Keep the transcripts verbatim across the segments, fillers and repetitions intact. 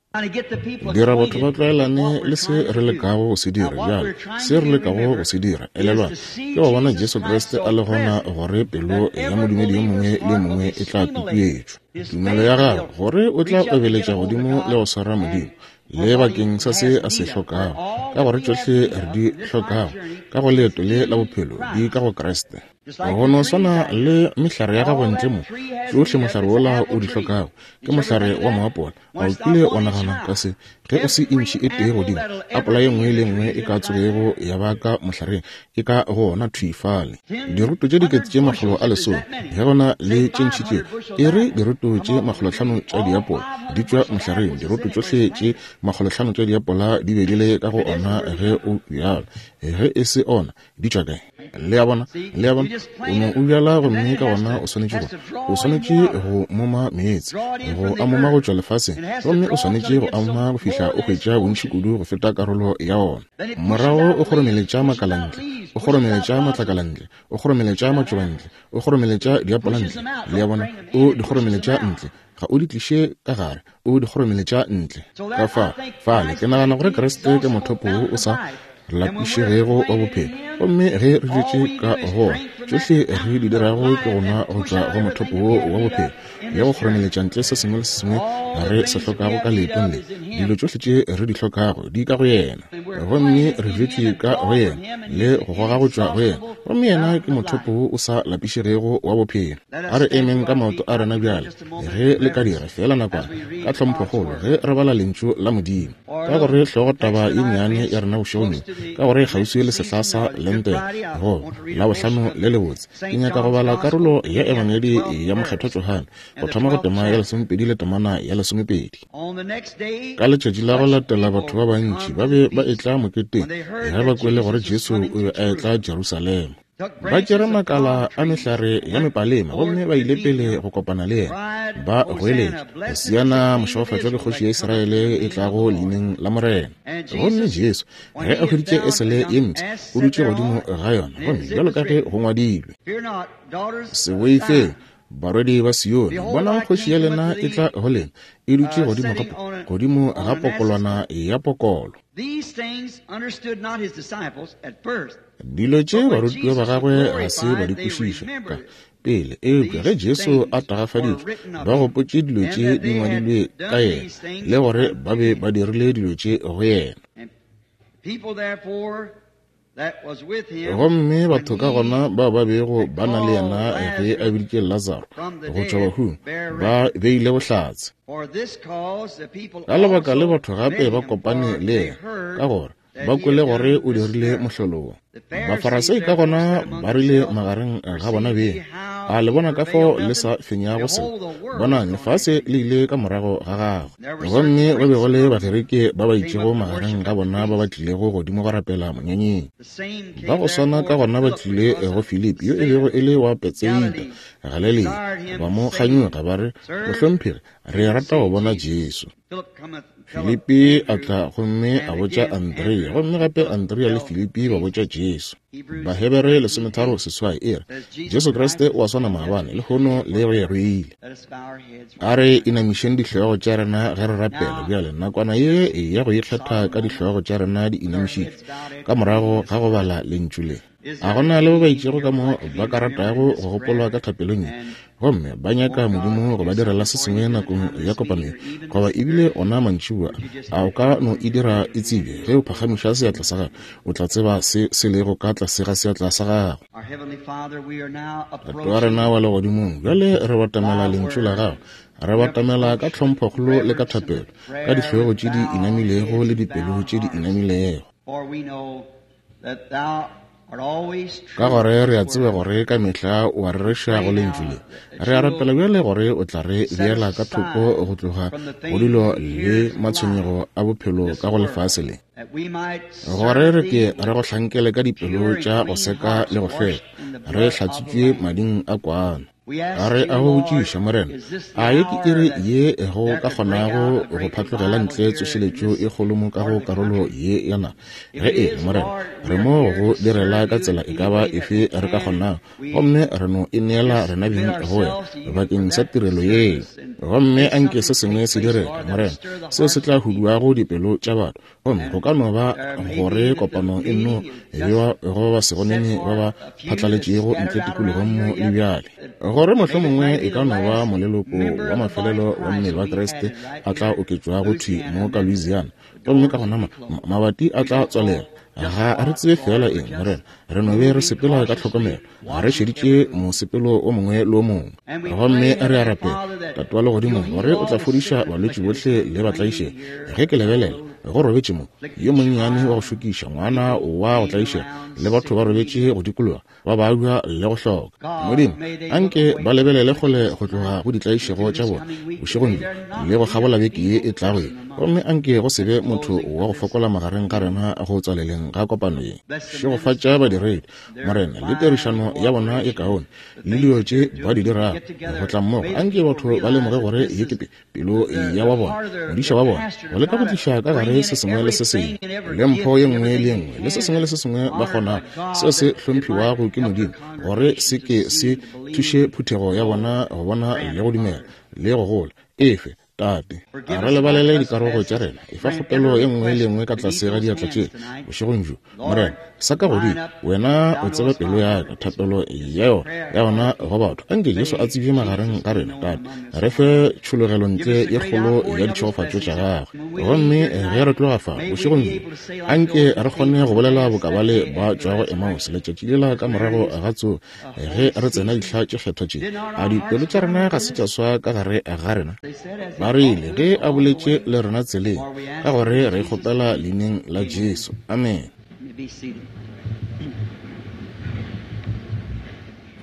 Dira batho ba tlwaelane le se re lekago go se dira bjale, se re lekago go se dira, elelwang, ke go bona Jesu Kriste a le gona, gore pelo ya modumedi yo mongwe le yo mongwe e tla tutuetšwa. Tumelo ya gagwe, gore o tla obeletša godimo le go swara Modimo, le bakeng sa se a se hlokago, ka gore tšohle re di hlokago ka go leeto le la bophelo di ka go Kriste. Go no swana le mehlare ya gago ntle mo, tšohle mohlare wola o di hlokago ke mohlare wa moapola. A o kile wa nagana ka se? Ge o se intšhi e tee godimo, apola ye nngwe le nngwe e ka tsogego ya ba ka mohlareng e ka go ona thwi fale. Diroto tše dikete tše makgolo a lesome, ge go na le tše ntši tšeo, e re diroto tše makgolohlano tša diapola di tšwa mohlareng, diroto tšohle tše makgolohlano tša diapola di be di le ka go ona ge o bjala. Ge e se ona, di tšwa kae? Le a bona? Le a bona? O no o bjala gomme ka gona o swanetše go o swanetše go moma meetse, go a moma go tšwa lefaseng, gomme o swanetše go a moma go fihla o hwetša bontši kudu go feta karolo ya ona. Morago o kgoromeletša makala ntle, o kgoromeletša matlakala ntle, o kgoromeletša matšoba ntle, o kgoromeletša diapola ntle. Le a bona? O di kgoromeletša ntle. Ga o di tliše ka gare, o di kgoromeletša ntle. Ka fa, fale ke nagana gore Kriste ke mothopo wo o sa lapišegego wa bophelo, gomme ge re dutše ka go ona, tšohle re di dirago ke go nwa go tšwa go mothopo wo wa bophelo le go kgoromeletša ntle se sengwe le se sengwe re se hlokago ka leetong le. Dilo tšohle tše re di hlokago di ka go yena, gomme re dutše ka go yena le go goga go tšwa go yena, gomme yena ke mothopo wo o sa lapišegego wa bophelo. A re emeng ka maoto a rena bjale, ge le ka dira feela nakwana ka tlhomphokgolo ge re bala lentšu la Modimo, ka gore hlogotaba ye nnyane ya rena bošegong bjo, ka gore kgauswi le sehla sa Lente go Labohlano le lebotse, ke nyaka go bala karolo ya Ebangedi ya Mokgethwa Johane, go thoma go tema ya lesomepedi le temana ya lesomepedi. Ka letšatši la go latela batho ba bantši ba be ba etla moketeng ge ba kwele gore Jesu o be a etla Jerusalema. Ba tšere makala a mehlare ya mepalema gomme ba ile pele go kopana le yena, ba goeletša, Hosiana, mošegofatšwa ke kgoši ya Israele e tlago leineng la Morena. Gomme Jesu, ge a hweditše esele ye mpsha, o dutše godimo ga yona, gomme bjalo ka ge go ngwadilwe, Se boifeng, barwedi ba Sione, bonang kgoši ya lena e tla go lena, e dutše godimo ga godimo ga pokolwana ya pokolo. Dilo tše barutiwa ba gagwe ga se ba di kwešiša ka pele, eupša ge Jesu a tagafaditšwe, ba gopotše dilo tše di ngwadilwe ka yena, le gore ba be ba dirile dilo tše go yena. Gomme batho ka gona bao ba bego ba na le yena ge a biditše Lazaro go tšwa bahung, ba beile bohlatse. Ka lebaka le batho gape ba kopane le yena, ka gore ba kwele gore o dirile mohlolo wo. Bafarasei ka gona ba rile magareng ga bona beng, a le bona ka fao le sa fenyago se? Bonang, lefase le ile ka morago ga gagwe. Gomme go be go le Bagerike ba ba itšego magareng ga bona ba ba tlilego godimo go rapela monyanyeng. Ba go swana ka gona ba tlile go Filipi yo e bego e le wa Betsaida, Galilea, ba mo kganyoga ba re, Mohlomphegi, re rata go bona Jesu. Filipi a tla gomme a botša Andrea, gomme gape Andrea le Filipi ba botša Jesu. Bahebere lesometharo seswai e re, Jesu Kriste o a swana maabane, lehono le go ya go ile. A re inamišeng dihlogo tša rena ge re rapela bjale, nakwana ye ya go ikgetha ka dihlogo tša rena di inamišitšwe ka morago ga go bala lentšu le. A gona le ba ba itšego ka mo ba ka ratago go gopolwa ka thapelong ye, gomme ba nyaka Modimo go ba direla se sengwe nakong ya kopano ye, goba ebile ona mantšiboa, a o ka no e dira e tsebje ge o phagamiša seatla sa gago, o tla tseba se se lego ka tlase ga seatla sa gago. Tate wa rena wa legodimong, bjale re batamela lentšu la gago, re batamela ka tlhomphokgolo le ka thapelo, ka dihlogo tše di inamilego le dipelo tše di inamilego. Ka gore re a tseba gore ka mehla o a rereša go lentšu le. Re a rapela bjale gore o tla re beela ka thoko go tloga go dilo le matshwenyego a bophelo ka go lefase le, gore re ke re go hlankele ka dipelo tša go seka le go hlweka, re hlatswitšwe mading a kwana. Re a go botšiša, Morena, a ye ke iri ye go ka kgonago go phatlogela ntle tsošeletšo e kgolo mo ka go karolo ye ya naga? Ge e le, Morena, re mo go direla ka tsela e ka ba efe re ka kgonago, gomme re no e neela rena beng go wena bakeng sa tirelo ye. Gomme anke se sengwe se direge, Morena, seo se tla huduago dipelo tša batho. Gomme go ka no ba gore kopano e nno bewa go ba segonene ba ba phatlaletšego ntle tikologong mo le bjale, gore mohlomongwe e ka no ba moleloko wa mafelelo wa mmele wa Kriste a tla oketšwago thwi mo ka Louisiana, gomme ka gona mabati a tla tswalela. Ga re tsebe fela eng, Morena, re no be re sepela ka tlhokomelo, re šeditše mosepelo o mongwe le o mongwe. Gomme re a rapela, Tate wa legodimo, gore o tla fodiša balwetši bohle le batlaišegi. Ge ke lebelela, go robetše mo yo monnyane wa go šokiša, ngwana wa go tlaišega, le batho ba robetše go dikologa, ba babja le go hloka. Modimo, anke ba lebelele kgole go tloga go ditlaišego tša bona bošegong bjo le go kgabola beke ye e tlago ye, gomme anke go se be motho wa go fokola magareng ga rena go tswaleleng ga kopano ye. Šegofatša badiredi, Morena, le tirišano ya bona e kaone le dilo tše ba di dirago go tla mmogo. Anke batho ba lemoge gore ye ke pelo ya wa bona, modiša wa bona, go leka go tliša ka gare se sengwe le se sengwe, le mpho ye nngwe le ye nngwe, le se sengwe le se sengwe ba kgonago, seo se hlomphiwago ke Modimo, gore se ke se thuše phuthego ya bona go bona le go dumela le go gola. Efe, Tate, a re lebalele dikarogo tša rena. Efa kgopelo ye nngwe le nngwe ka tlase ga diatla tše bošegong bjo, Morena. Sa ka godimo, wena o tseba pelo ya ka, thapelo ya yona ya gona go batho. Anke Jesu a tsebje magareng ga rena, Tate. Re fe tšhologelo ntle ye kgolo ya ditšhegofatšo tša gagwe. Gomme ge re tloga fa bošegong bjo, anke re kgone go bolela bokabale ba tšwago Emmaus letšatši lela ka morago ga tsogo, ge re tsena dihla tše kgethwa tše. A dipelo tša rena ga se tša swa ka gare ga rena? Ba rile ge a boletše le rena tseleng, ka gore re kgopela leineng la Jesu. Amen.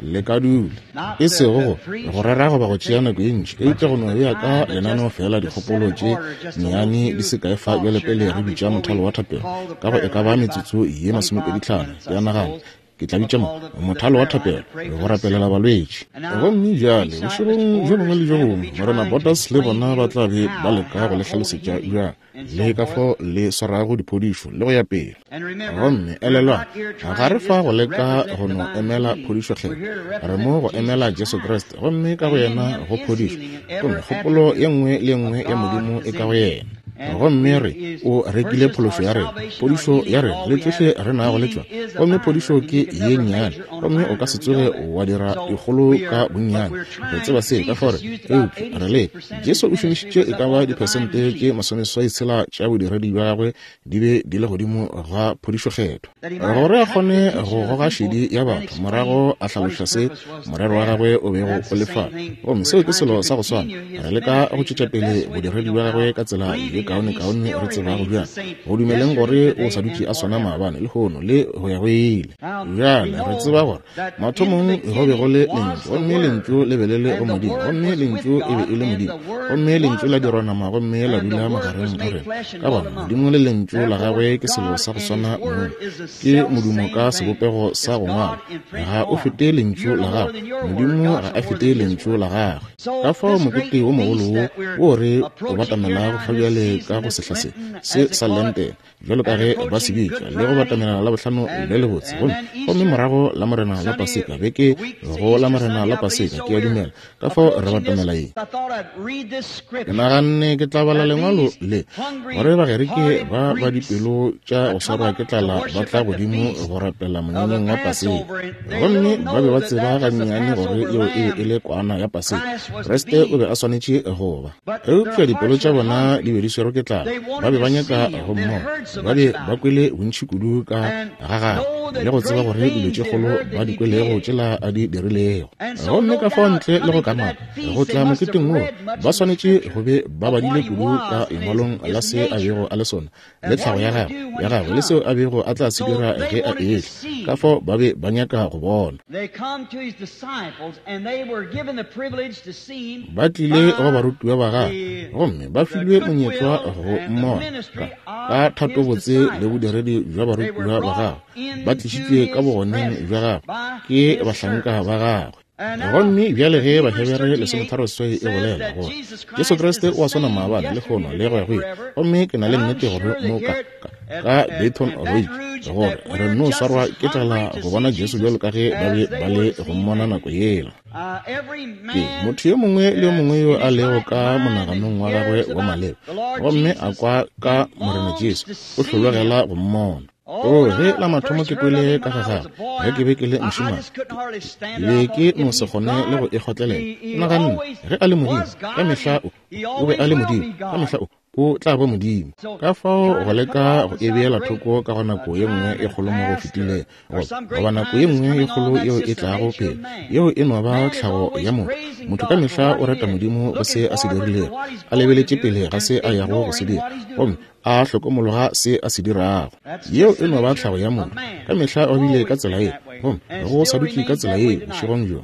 Le ka dula. E sego go go rera goba go tšea nako ye ntši, eupša go no bea ka lenaneo fela dikgopolo tše nnyane di se kae fa bjale pele re bitša mothalo wa thapelo ka go e ka ba metsotso ye masomepedi tlhano. Ke a nagana ke tla bitša mo mothalo wa thapelo go rapelela balwetši. Gomme bjale bošegong bjo bongwe le bjo bongwe, Morena Botas le bona ba tla be ba leka go le hlalosetša bjang le ka fao le swarago diphodišo le go ya pele. Gomme elelwang, ga re fa go leka go no emela phodišo kgetho, re mo go emela Jesu Kriste, gomme ka go yena go phodišo, gomme kgopolo ye nngwe le ye nngwe ya Modimo e ka go yena. Gomme re o rekile phološo ya rena, phodišo ya rena, le tšohle re nago le tšona. Gomme phodišo ke ye nnyane, gomme o ka se tsoge wa dira dikgolo ka bonnyane. Re tseba se ka fao re, eupša re le Jesu o šomišitše e ka ba diphesente tše masomeseswai tshela tša bodiredi bja gagwe di be di le godimo ga phodišo kgetho, gore a kgone go goga šedi ya batho morago a hlaloša se morero wa gagwe o bego o le fa. Gomme seo ke selo sa go swana, re leka go tšwetša pele bodiredi bja gagwe ka tsela ye kaone kaone re tsebago bjang, go dumeleng gore o sa dutše a swana maabane, lehono le go ya go ile. Bjale re tseba gore mathomong go be go le Lentšu, gomme Lentšu le be le le go Modimo, gomme Lentšu e be e le Modimo, gomme Lentšu la dirwa nama gomme la dula magareng ga rena. Ka gona Modimo le Lentšu la gagwe ke selo sa go swana mong, ke modumo ka sebopego sa go ngwala. Ga o fete Lentšu la gagwe, Modimo ga a fete Lentšu la gagwe. Ka fao mokete wo mogolo wo wo re o batamelago fa bjale ka go sehla se se sa Lenten, bjalo ka ge ba se bitša, le go batamela la bohlano le lebotse, gomme gomme morago la Morena la Paseka, beke go la Morena la Paseka, ke a dumela. Ka fao re batamela ye. Ke naganne ke tla bala lengwalo le, gore Bagerike ba ba dipelo tša go swarwa ke tlala ba tla godimo go rapela monyanyeng wa Paseka, gomme ba be ba tseba gannyane gore yeo e be e le kwana ya Paseka, Kriste o be a swanetše go ba. Eupša dipelo tša bona di be di swerwe ke tlala, ba be ba nyaka go mmona, ba be ba kwele bontši kudu ka ga gagwe le go tseba gore dilo tše kgolo ba di kwelego tšela a di dirilego. Gomme ka fao ntle le go kamaka go tla moketeng wo, ba swanetše go be ba badile kudu ka lengwalong la se a bego a le sona, le tlhago ya gagwe ya gagwe le seo a bego a tla se dira ge a etla. Ka fao ba be ba nyaka go bona. Ba tlile go barutiwa ba gagwe, gomme ba filwe monyetla go mmona ka, ka thatobotse le bodiredi bja barutiwa ba gagwe. Ba tlišitšwe ka bogoneng bja gagwe ke bahlanka ba gagwe. Gomme bjale ge Bahebere lesometharo seswai e bolela gore Jesu Kriste o a swana maabane, lehono le go ya go ile, gomme ke na le nnete gore mo ka, ka, ka Baton Rouge gore re no swarwa ke tlala go bona Jesu bjalo ka ge ba be ba le go mmona nako yela. Ke motho yo mongwe le yo mongwe yo a lego ka monaganong wa gagwe wa maleba gomme a kwa ka Morena Jesu, o hlologela go mmona. O, ge la mathomo ke kwele ka ga gagwe, ge ke be ke le mošemane, ke be ke no se kgone le go e kgotlelela. Ke naganne, ge a le Modimo, ka mehla o, o be a le Modimo, ka mehla o, o tla ba Modimo. Ka fao go leka go e beela thoko ka go nako ye nngwe e kgolo mo go fetilego, goba nako ye nngwe ye kgolo yeo e tlago pele, yeo e no ba tlhago ya motho. Motho ka mehla o reta Modimo go se a se dirilego, a lebeletše pele ga se a yago go se dira, gomme a hlokomologa se a se dirago. Yeo e no ba tlhago ya motho. Ka mehla o bile ka tsela ye, gomme go sa dutše ka tsela ye bošegong bjo.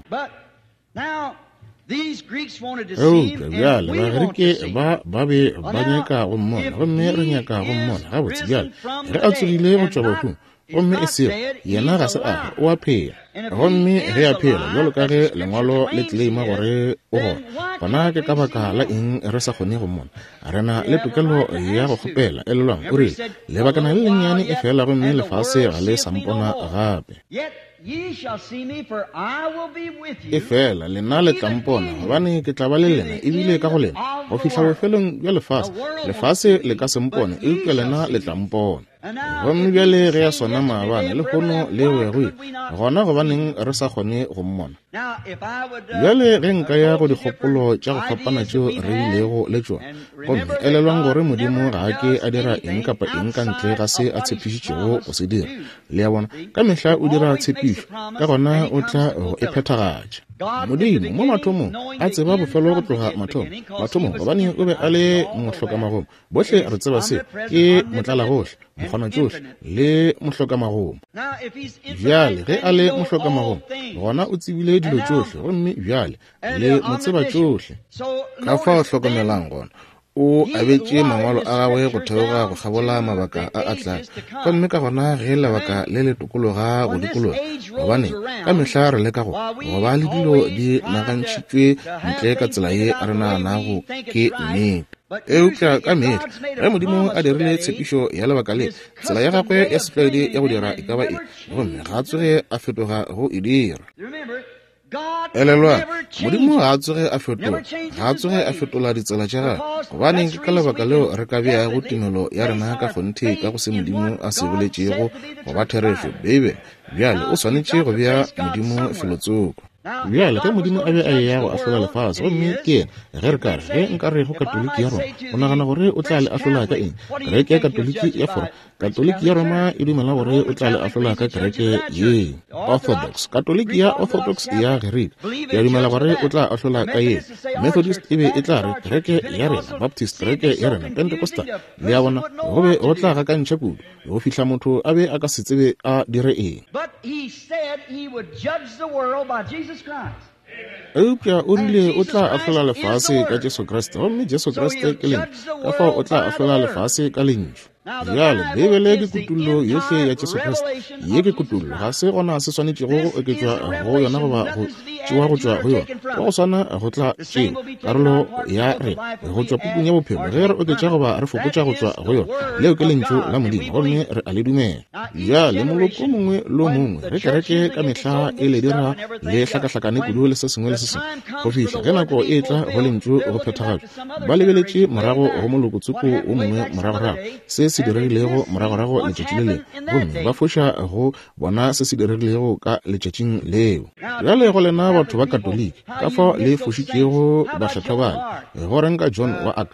Eupša bjale Bagerike ba ba be ba nyaka go mmona, gomme re nyaka go mmona. Gabotse bjale ge a tsogile go tšwa bahung, gomme e sego yena ga se a o a phela, gomme ge a phela bjalo ka ge lengwalo le tleleima gore o gona, gona ke ka baka la eng re sa kgone go mmona? Re na le tokelo ya go kgopela. Elelwang, o rile, lebakana le lennyane e fela gomme lefase ga le sa mpona gape. E fela lena le tla mpona, gobane ke tla ba le lena ebile ka go lena go fihla bofelong bja lefase. Lefase le ka se mpone, eupša lena le tla mpona. Gomme bjale ge a swana maabane, lehono le go ya go ile, gona gobaneng re sa kgone go mmona? Bjale ge nka ya go dikgopolo tša go fapana tšeo re bilego le tšona, gomme elelwang gore Modimo ga a ke a dira eng kapa eng ka ntle ga se a tshepišitšego go se dira. Le a bona, ka mehla o dira tshepišo, ka gona o tla go e phethagatša. Modimo mo mathomong a tseba bofelo go tloga mathomo, mathomong, gobane o be a le mohlokamagomo. Bohle re tseba se, ke motlalagohle, mokgonatšohle le mohlokamagomo. Bjale ge a le mohlokamagomo, gona o tsebile dilo tšohle, gomme bjale le mo tseba tšohle. Ka fao hlokomelang gona, o abetše mangwalo a gagwe go theoga go kgabola mabaka a a tlago, gomme ka gona ge lebaka le le tokologa go dikologa, gobane ka mehla re leka go go ba le dilo di nagantšhitšwe ntle ka tsela ye re naganago ke nnete. Eupša ka mehla ge Modimo a dirile tshepišo ya lebaka le, tsela ya gagwe ya setlwaedi ya go dira e ka ba e, gomme ga a tsoge a fetoga go e dira. Elelwang, Modimo ga a tsoge a fetola, ga a tsoge a fetola ditsela tša gagwe, gobane ke ka lebaka leo re ka beago tumelo ya rena ka kgonthe ka go se Modimo a se boletšego go ba therešo. Beibele bjale o swanetše go bea Modimo felotsoko. Bjale ge Modimo a be a eya go ahlola lefase, gomme ke yena, ge re ka re, ge nka re go Katoliki ya Roma, o nagana gore o tla le ahlola ka eng? Kereke ya Katoliki ya Fora, Katoliki ya Roma e dumela gore o tla le ahlola ka kereke ye Orthodox, Katoliki ya Orthodox ya Gerika ke a dumela gore o tla ahlola ka ye. Methodist e be e tla re kereke ya rena, Baptist kereke ya rena, Pentecostal. Le a bona, go be go tla gakantšha kudu go fihla motho a be a ka se tsebe a dire eng. Eupša o rile o tla ahlola lefase ka Jesu Kriste, gomme Jesu Kriste ke Lentšu, ka fao o tla ahlola lefase ka Lentšu. Bjale Beibele ke kutullo yohle ya Jesu Kriste. Ye ke kutullo, ga se gona se swanetšego go oketšwa go yona goba go tšewa go tšwa go yona. Ka go swana go tla tšewa karolo ya rena go tšwa pukung ya bophelo ge re oketša goba re fokotša go tšwa go yona. Leo ke Lentšu la Modimo, gomme re a le dumela. Bjale moloko mongwe le mongwe ge kereke ka mehla e le dira le hlakahlakane kudu le se sengwe le se sengwe, go fihla ge nako e tla go Lentšu go phethagatšwa, ba lebeletše morago go moloko tsoko o mongwe moragorago, se se diregilego moragorago letšatši le lengwe, gomme ba foša go bona se se diregilego ka letšatšing leo. Bjale go lena batho ba Katoliki, ka fao le fošitšego bakgethwa bale. Go reng ka John wa Arc,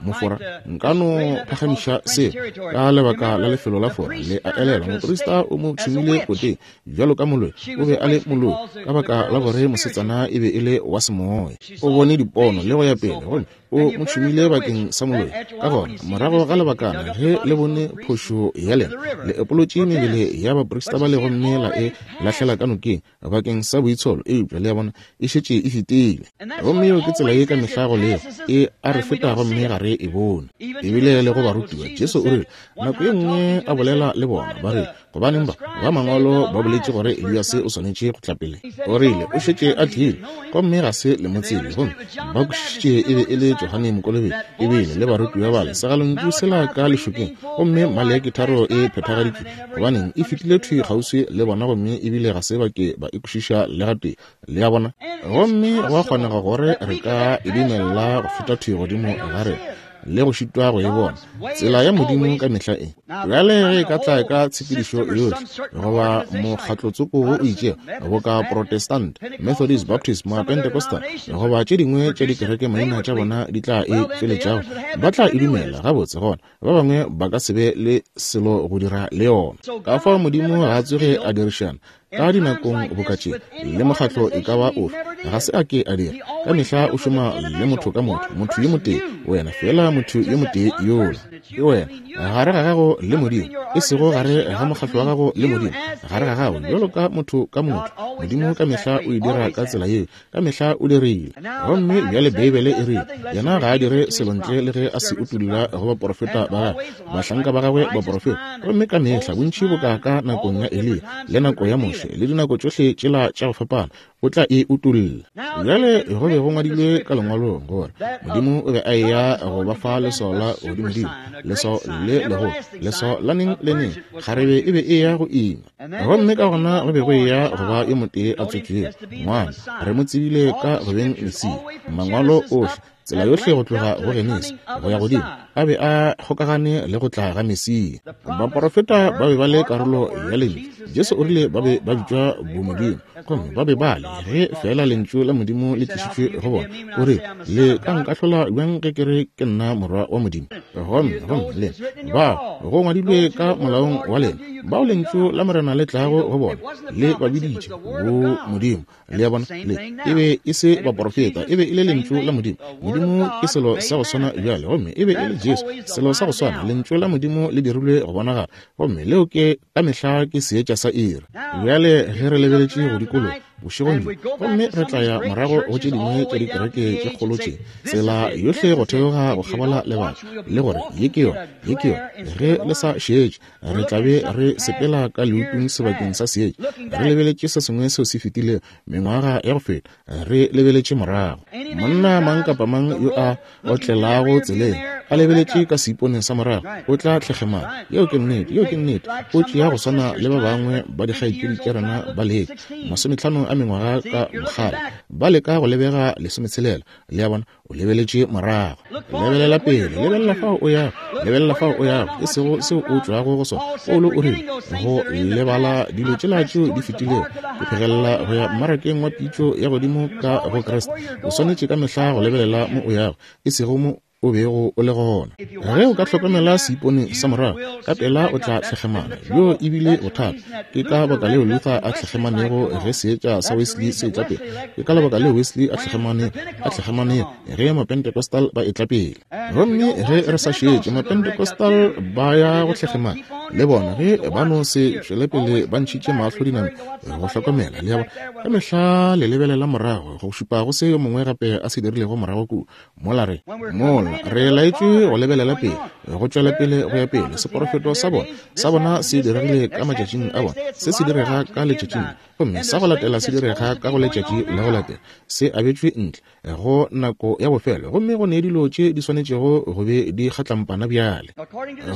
Mofora? Nka no phagamiša seo ka lebaka la lefelo la Fora. Le a elelwa, moprista o mo tšhumile koteng bjalo ka moloi. O be a le moloi ka baka la gore mosetsana e be e le wa semoya. O bone dipono le go ya pele, gomme o mo tšhumile bakeng sa moloi. Ka gona morago ga lebakana ge le bone phošo ya lena, le epolotše mebele ya baprista ba le gomme la e lahlela ka nokeng bakeng sa boitsholo. Eupša le a bona, e šetše e fetile. Gomme yeo ke tsela ye ka mehla go lego, e a re feta gomme ga re e bone. Ebile le go barutiwa, Jesu o rile nako ye nngwe a bolela le bona, ba re, Gobaneng ba ba mangwalo ba boletše gore Eliase o swanetše go tla pele? O rile o šetše a tlile, gomme ga se le mo tsebe. Gomme ba kwešišitše e be e le Johane Mokolobetši, ebile le barutiwa bale segalontšu sela ka lešokeng, gomme Maleaki tharo e phethagaditšwe. Gobaneng e fetile thwi kgauswi le bona, gomme ebile ga se ba ke ba e kwešiša le gatee. Le a bona? Gomme go a kgonega gore re ka e dumella go feta thwi godimo ga rena le go šitwa go e bona. Tsela ya Modimo ka mehla e bjale ge e ka tla ka tshepedišo yohle goba mokgatlotsoko wo o itšego, boka Protestant, Methodist, Baptist, Mapentecostal, goba tše dingwe tša dikereke maina tša bona di tla e tšweletšago, ba tla e dumela gabotse. Gona ba bangwe ba ka se be le selo go dira le yona. Ka fao Modimo ga a tsoge a dirišana ka dinakong boka tše le mokgatlo e ka ba ofe, ga se a ke a dira. Ka mehla o šoma le motho ka motho, motho yo motee, wena fela motho yo motee yola ke wena, gare ga gago le Modimo, e sego gare ga mokgatlo wa gago le Modimo, gare ga gago bjalo ka motho ka motho. Modimo ka mehla o e dira ka tsela yeo, ka mehla o dirile. Gomme bjale Beibele e rile yena ga a dire selo ntle le ge a se utolla go baporofeta ba gagwe, bahlanka ba gagwe baporofeta. Gomme ka mehla bontši boka ka nakong ya Eliya le nako ya Moshe le dinako tšohle tšela tša go fapana, o tla e utolla. Bjale go be go ngwadilwe ka lengwalong gore Modimo o be a eya go ba fa leswao la godimodimo, leswao le legolo, leswao la neng le neng, kgarebe e be e ya go ima. Gomme ka gona go be go eya go ba yo motee a tswetšwego ngwana, re mo tsebile ka go beng Mesia. Mangwalo ohle, tsela yohle go tloga go Genesi go ya godimo, a be a kgokagane le go tla ga Mesia. Baporofeta ba be ba le karolo ya lentšu. Jesu o rile ba be ba bitšwa bomodimo, gomme ba be ba le ge fela lentšu la Modimo le tlišitšwe go bona. O rile, le ka nkahlola bjang ge ke re ke nna morwa wa Modimo? Gomme gomme le bao go ngwadilwe ka molaong wa lena, bao lentšu la Morena le tlago go bona, le ba biditše bo Modimo. Le a bona? Le e be e se baporofeta, e be e le lentšu la Modimo. Modimo ke selo sa go swana bjale, gomme e be e le Jesu, selo sa go swana. Lentšu la Modimo le dirilwe go bonagala, gomme leo ke ka mehla ke seetša sa iri. Bjale ge re lebeletše go dikologa bošegong bjo, gomme re tla ya morago go tše dingwe tša dikereke tše kgolo tše, tsela yohle go theoga go kgabola lebaka, le gore ye ke yona, ye ke yona. Ge le sa šetše, re tla be re sepela ka leutung sebakeng sa seetša, re lebeletše se sengwe seo se fetilego mengwaga ya go feta, re lebeletše morago. Monna mang kapa mang yo a otlelago tseleng a lebeletše ka seiponeng sa morago o tla tlhekgemana. Yeo ke nnete, yeo ke nnete. O tšea go swana le ba bangwe ba dikgaetšedi tša rena ba leka masometlhano a mengwaga ka bokgale, ba leka go lebega lesometshelela. Le a bona? O lebeletše morago. Lebelela pele, lebelela fao o yago, lebelela fao o yago, e sego seo o tšwago go sona. Paulo o rile go lebala dilo tšela tšeo di fetilego, ke phegelela go ya mmarakeng wa pitšo ya godimo ka go Kriste. O swanetše ka mehla go lebelela mo o yago, e sego mo o bego o le gona. Ge o ka hlokomela seipone sa morago, ka pela o tla tlhekgemana. Bjo ebile bothata. Ke ka baka leo Luther a tlhekgemanego ge seetša sa Wesley se etla pele. Ke ka lebaka leo Wesley a tlhekgemane a tlhekgemanego ge Mapentecostal ba etla pele. Gomme ge re sa šetše, Mapentecostal ba ya go tlhekgemana le bona ge ba no se tšwele pele ba ntšhitše mahlo dinameng go hlokomela. Le a bona? Ka mehla le lebelela morago go šupa go se yo mongwe gape a se dirilego morago kua. Mola re mola re laetšwe go lebelela pele, go tšwela pele go ya pele. Seporofeto sa bona sa bona se diregile ka matšatšing a bona, se se direga ka letšatšing, gomme sa go latela se direga ka go letšatši la go latela. Se abetšwe ntle go nako ya bofelo, gomme go ne dilo tše di swanetšego go be di kgatlampana bjale.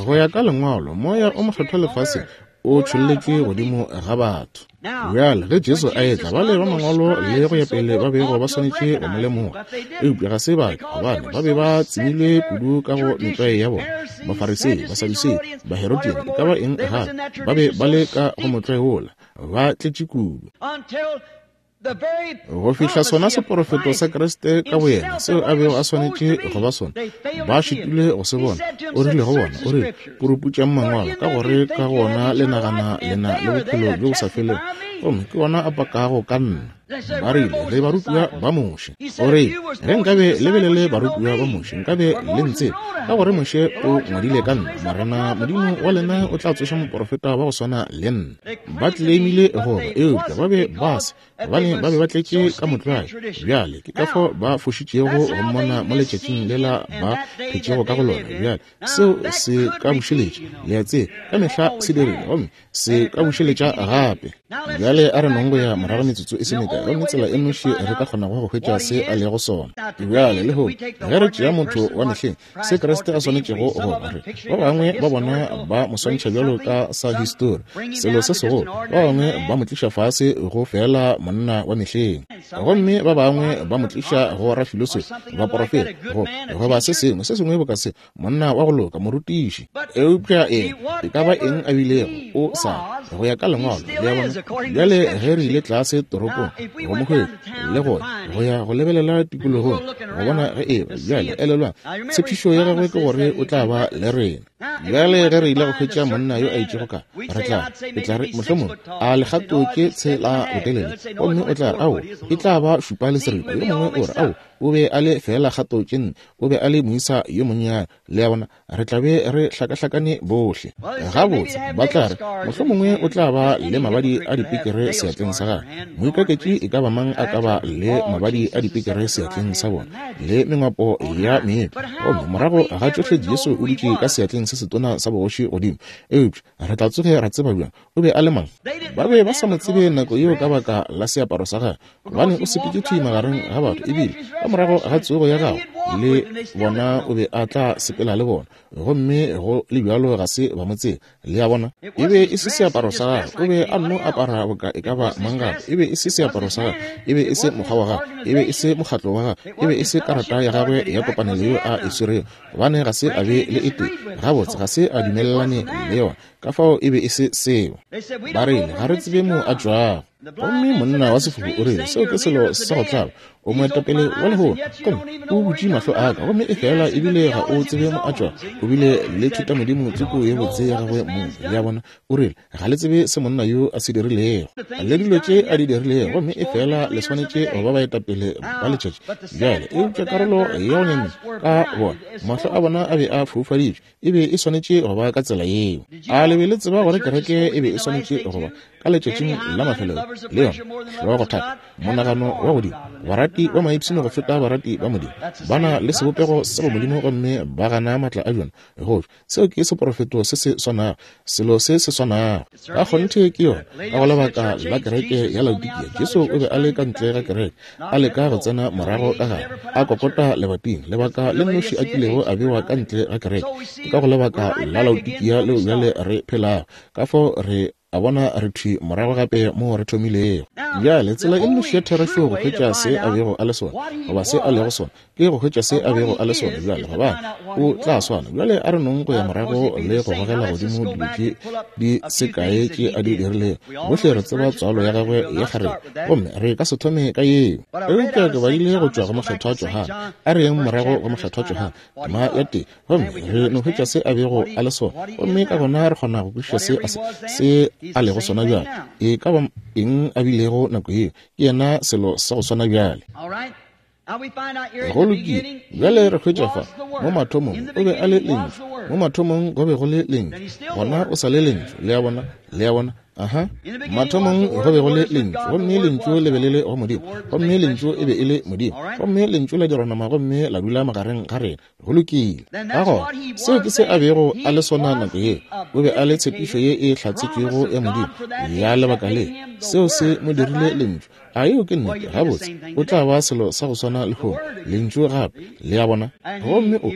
Go ya ka lengwalo, moya o mokgethwa lefaseng o tšholletšwe godimo ga batho. Bjale ge Jesu a etla, bale ba mangwalo le go ya pele ba bego ba swanetše go mo lemoga, eupša ga se ba ke, gobane ba be ba tsemilwe kudu ka go metlwae ya bona. Bafarisei, Basadusei, Baherodian, e ka ba eng gape, ba be ba le ka go motlwae wola, ba tletše kudu. Go fihla sona seporofeto sa Kriste ka boyena seo a bego a swanetše go ba sona, ba šitilwe go se bona. O rile go bona, o rile, puruputšang mangwalo, ka gore ka gona le nagana le na le bophelo bjo bo sa felego, gomme ke ona a pakago ka nna. Ba rile, re barutiwa ba Moshe. O rile, ge nkabe le be le le barutiwa ba Moshe, nkabe le ntsebe, ka gore Moshe o ngwadile ka nna. Morena Modimo wa lena o tla tsoša moprofeta wa go swana le nna. Ba claimile go ba, eupša ba be ba se, gobane ba be ba tletše ka motlwae. Bjale ke ka fao ba fošitšego go mmona mo letšatšing lela ba phetšego ka go lona. Bjale seo se ka bušeletša, le a tseba, ka mehla se dirile, gomme se ka bušeletša gape. Bjale a re nong go ya morago metsotso e se mekae, gomme tsela e nnoši re ka kgonago go hwetša se a lego sona. Bjale lehono ge re tšea motho wa mehleng, se Kriste a swanetšego go ba, re ba bangwe ba bona ba mo swantšha bjalo ka sa histori, selo se segolo, ba bangwe ba mo tliša fase go fela monna wa mehleng, gomme ba bangwe ba mo tliša go rafilosofi, baporofeta, go goba se sengwe se sengwe boka se, monna wa go loka, morutiši. Eupša eng e ka ba eng a bilego, o sa go ya ka lengwalo, le a bona. Bjale ge re ile tlase toropong go mo hwetša le go go ya go lebelela tikologong go bona ge eba. Bjale elelwang, tshepišo ya gagwe ke gore o tla ba le rena. Bjale ge re ile go hwetša monna yo a itšego ka, re tla re tla re mohlomongwe a legato ke tshela botelele, gomme o tla re ao e tla ba šupa le seripa. Yo mongwe o re ao o be a le fela kgato tše nne, o be a le moisa yo monnyane. Le a bona, re tla be re hlakahlakane bohle. Gabotse ba tla re mohlomongwe o tla ba le mabadi a dipikere seatleng sa gagwe. Moikaketši e ka ba mang a ka ba le mabadi a dipikere seatleng sa bona le mengwapo ya meetlo, gomme morago ga tšohle Jesu o dutše ka seatleng se setona sa bogoši godimo. Eupša re tla tsoge ra tseba bjang o be a le mang? Ba be ba sa mo tsebe nako yeo ka baka la seaparo sa gagwe, gobane o sepetše thwi magareng ga batho, ebile ka morago ga tsogo ya gagwe le bona o be a tla sepela le bona, gomme go le bjalo ga se ba mo tsebe. Le a bona, e be e se seaparo sa gagwe, o be a nno apara boka e ka ba mang gape. E be e se seaparo sa gagwe, e be e se mokgwa wa gagwe, e be e se mokgatlo wa gagwe, e be e se karata ya gagwe ya kopanelo yeo a e swerego, gobane ga se a be le e tee. Gabotse ga se a dumelelane le yona, ka fao e be e se seo. Ba rile, ga re tsebe mo a tšwago. Gomme monna wa sefofu o rile, seo ke selo sa go tlaba, o moetapele wa lehono, gomme o butše mahlo a ka, gomme efela ebile ga o tsebe mo a tšwago. O bile le thutamodimo tsoko ye botse ya gagwe mong. Le a bona, o rile, ga le tsebe se monna yo a se dirilego le dilo tše a di dirilego, gomme efela le swanetše go ba baetapele ba letšatši. Bjale eupša karolo ya go nyamiša ka bona, mahlo a bona a be a foufaditšwe, e be e swanetše go ba ka tsela yeo. A le be le tseba gore kereke e be e swanetše go ba ka letšatšing la mafelelo le yona hlogothata, monagano wa godimo, barati ba maipshino go feta barati ba Modimo, ba na le sebopego sa bomodimo gomme ba gana maatla a bjona. Go seo ke seporofeto se se swanago, selo se se swanago. Ka kgonthe ke yona. Ka go lebaka la kereke ya Laodikia, Jesu o be a le ka ntle ga kereke, a leka go tsena morago ka gare, a kokota lebating. Lebaka le nnoši a kilego a bewa ka ntle ga kereke ke ka go lebaka la Laodikia leo bjale re phelago. Ka fao re a bona re thwi morago gape mo re thomilego. Bjale tsela e nnoši ya therešo go hwetša se a bego a le sona, goba se a lego sona, ke go hwetša se a bego a le sona bjale, gobane o tla swana. Bjale a re nong go ya morago le go gogela godimo dilo tše di se kae tše a di dirilego. Bohle re tseba tswalo ya gagwe ya kgarebe, gomme re ka se thome ka yeo. Eupša ke badile go tšwa go Mokgethwa Johane. A re yeng morago go Mokgethwa Johane, tema ya tee, gomme re no hwetša se a bego a le sona, gomme ka gona re kgona go kwešiša se a se se a lego sona bjale. E ka ba eng a bilego nako yeo, ke yena selo sa go swana bjale. Go lokile. Bjale re hwetša fa, mo mathomong o be a le Lentšu, mo mathomong go be go le Lentšu, gona o sa le Lentšu. Le a bona, le a bona. Aha. Mathomong go be go le Lentšu, gomme Lentšu le be le le go Modimo, gomme Lentšu e be e le Modimo, gomme Lentšu la dirwa nama gomme la dula magareng ga rena. Go lokile. Ka gona seo ke se a bego a le sona nako yeo. O be a le tshepišo ye e hlatsetšwego ya Modimo ya lebaka le. Seo se mo dirile Lentšu. A yeo ke nnete? Gabotse, o tla ba selo sa go swana lehono, Lentšu gape. Le a bona? Gomme o,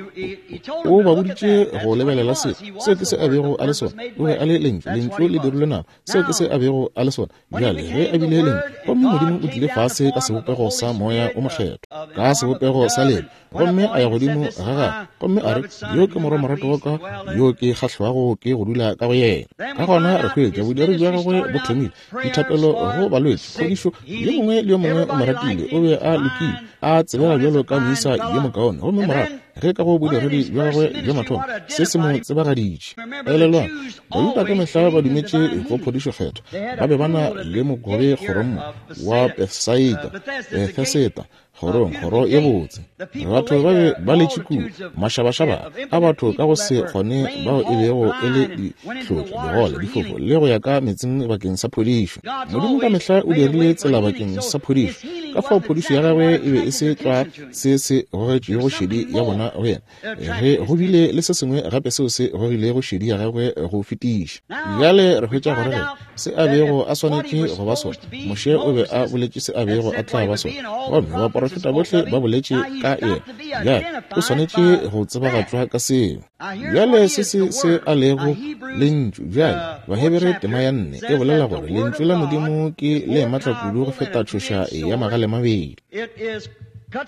o, o ba boditše go lebelela seo. Seo ke se a bego a le sona. O be a le Lentšu. Lentšu le dirilwe nama. Seo ke se a bego a le sona. Bjale ge a bile Lentšu, gomme Modimo o tlile fase ka sebopego sa Moya o Mokgethwa, ka sebopego sa lebe, gomme a ya godimo ga gagwe, gomme a re, yo ke morwa morato wa ka, yo ke kgahlwago ke go dula ka go yena. Ka gona re hwetša bodiredi bja gagwe bo thomile, dithapelo go balwetši, phodišo, yo mongwe le yo mongwe o mo ratile, o be a lokile, a tsebega bjalo ka moisa yo mokaone. Gomme morago Ge ka go bodiredi bja gagwe bja mathomo, se se mo tsebagaditše. Elelwang, Bajuda ka mehla ba dumetše go phodišo kgethwa. Ba be ba na le mogobe kgorong wa Bethsaida, Bethesda, kgorong, kgoro ye botse. Batho ba be ba letše kua, mašabašaba a batho ka go se kgone bao e bego e le dihlotša, digole, difofo, le go ya ka metseng bakeng sa phodišo. Modimo ka mehla o dirile tsela bakeng sa phodišo. Ka fao phodišo ya gagwe e be e se tlwa se se gogetšego šedi ya bona go yena. Ge go bile le se sengwe gape seo se gogilego šedi ya gagwe go fetiša. Bjale re hwetša gore ge se a bego a swanetše go ba sona, Moshe o be a boletše se a bego a tla ba sona, gomme baporofeta bohle ba boletše ka yena. Bjale o swanetše go tsebagatšwa ka seo. Bjale se se se a lego lentšu. Bjale Bahebere tema ya nne e bolela gore lentšu la Modimo ke le matla kudu go feta tšhoša ya magale mabedi. Ke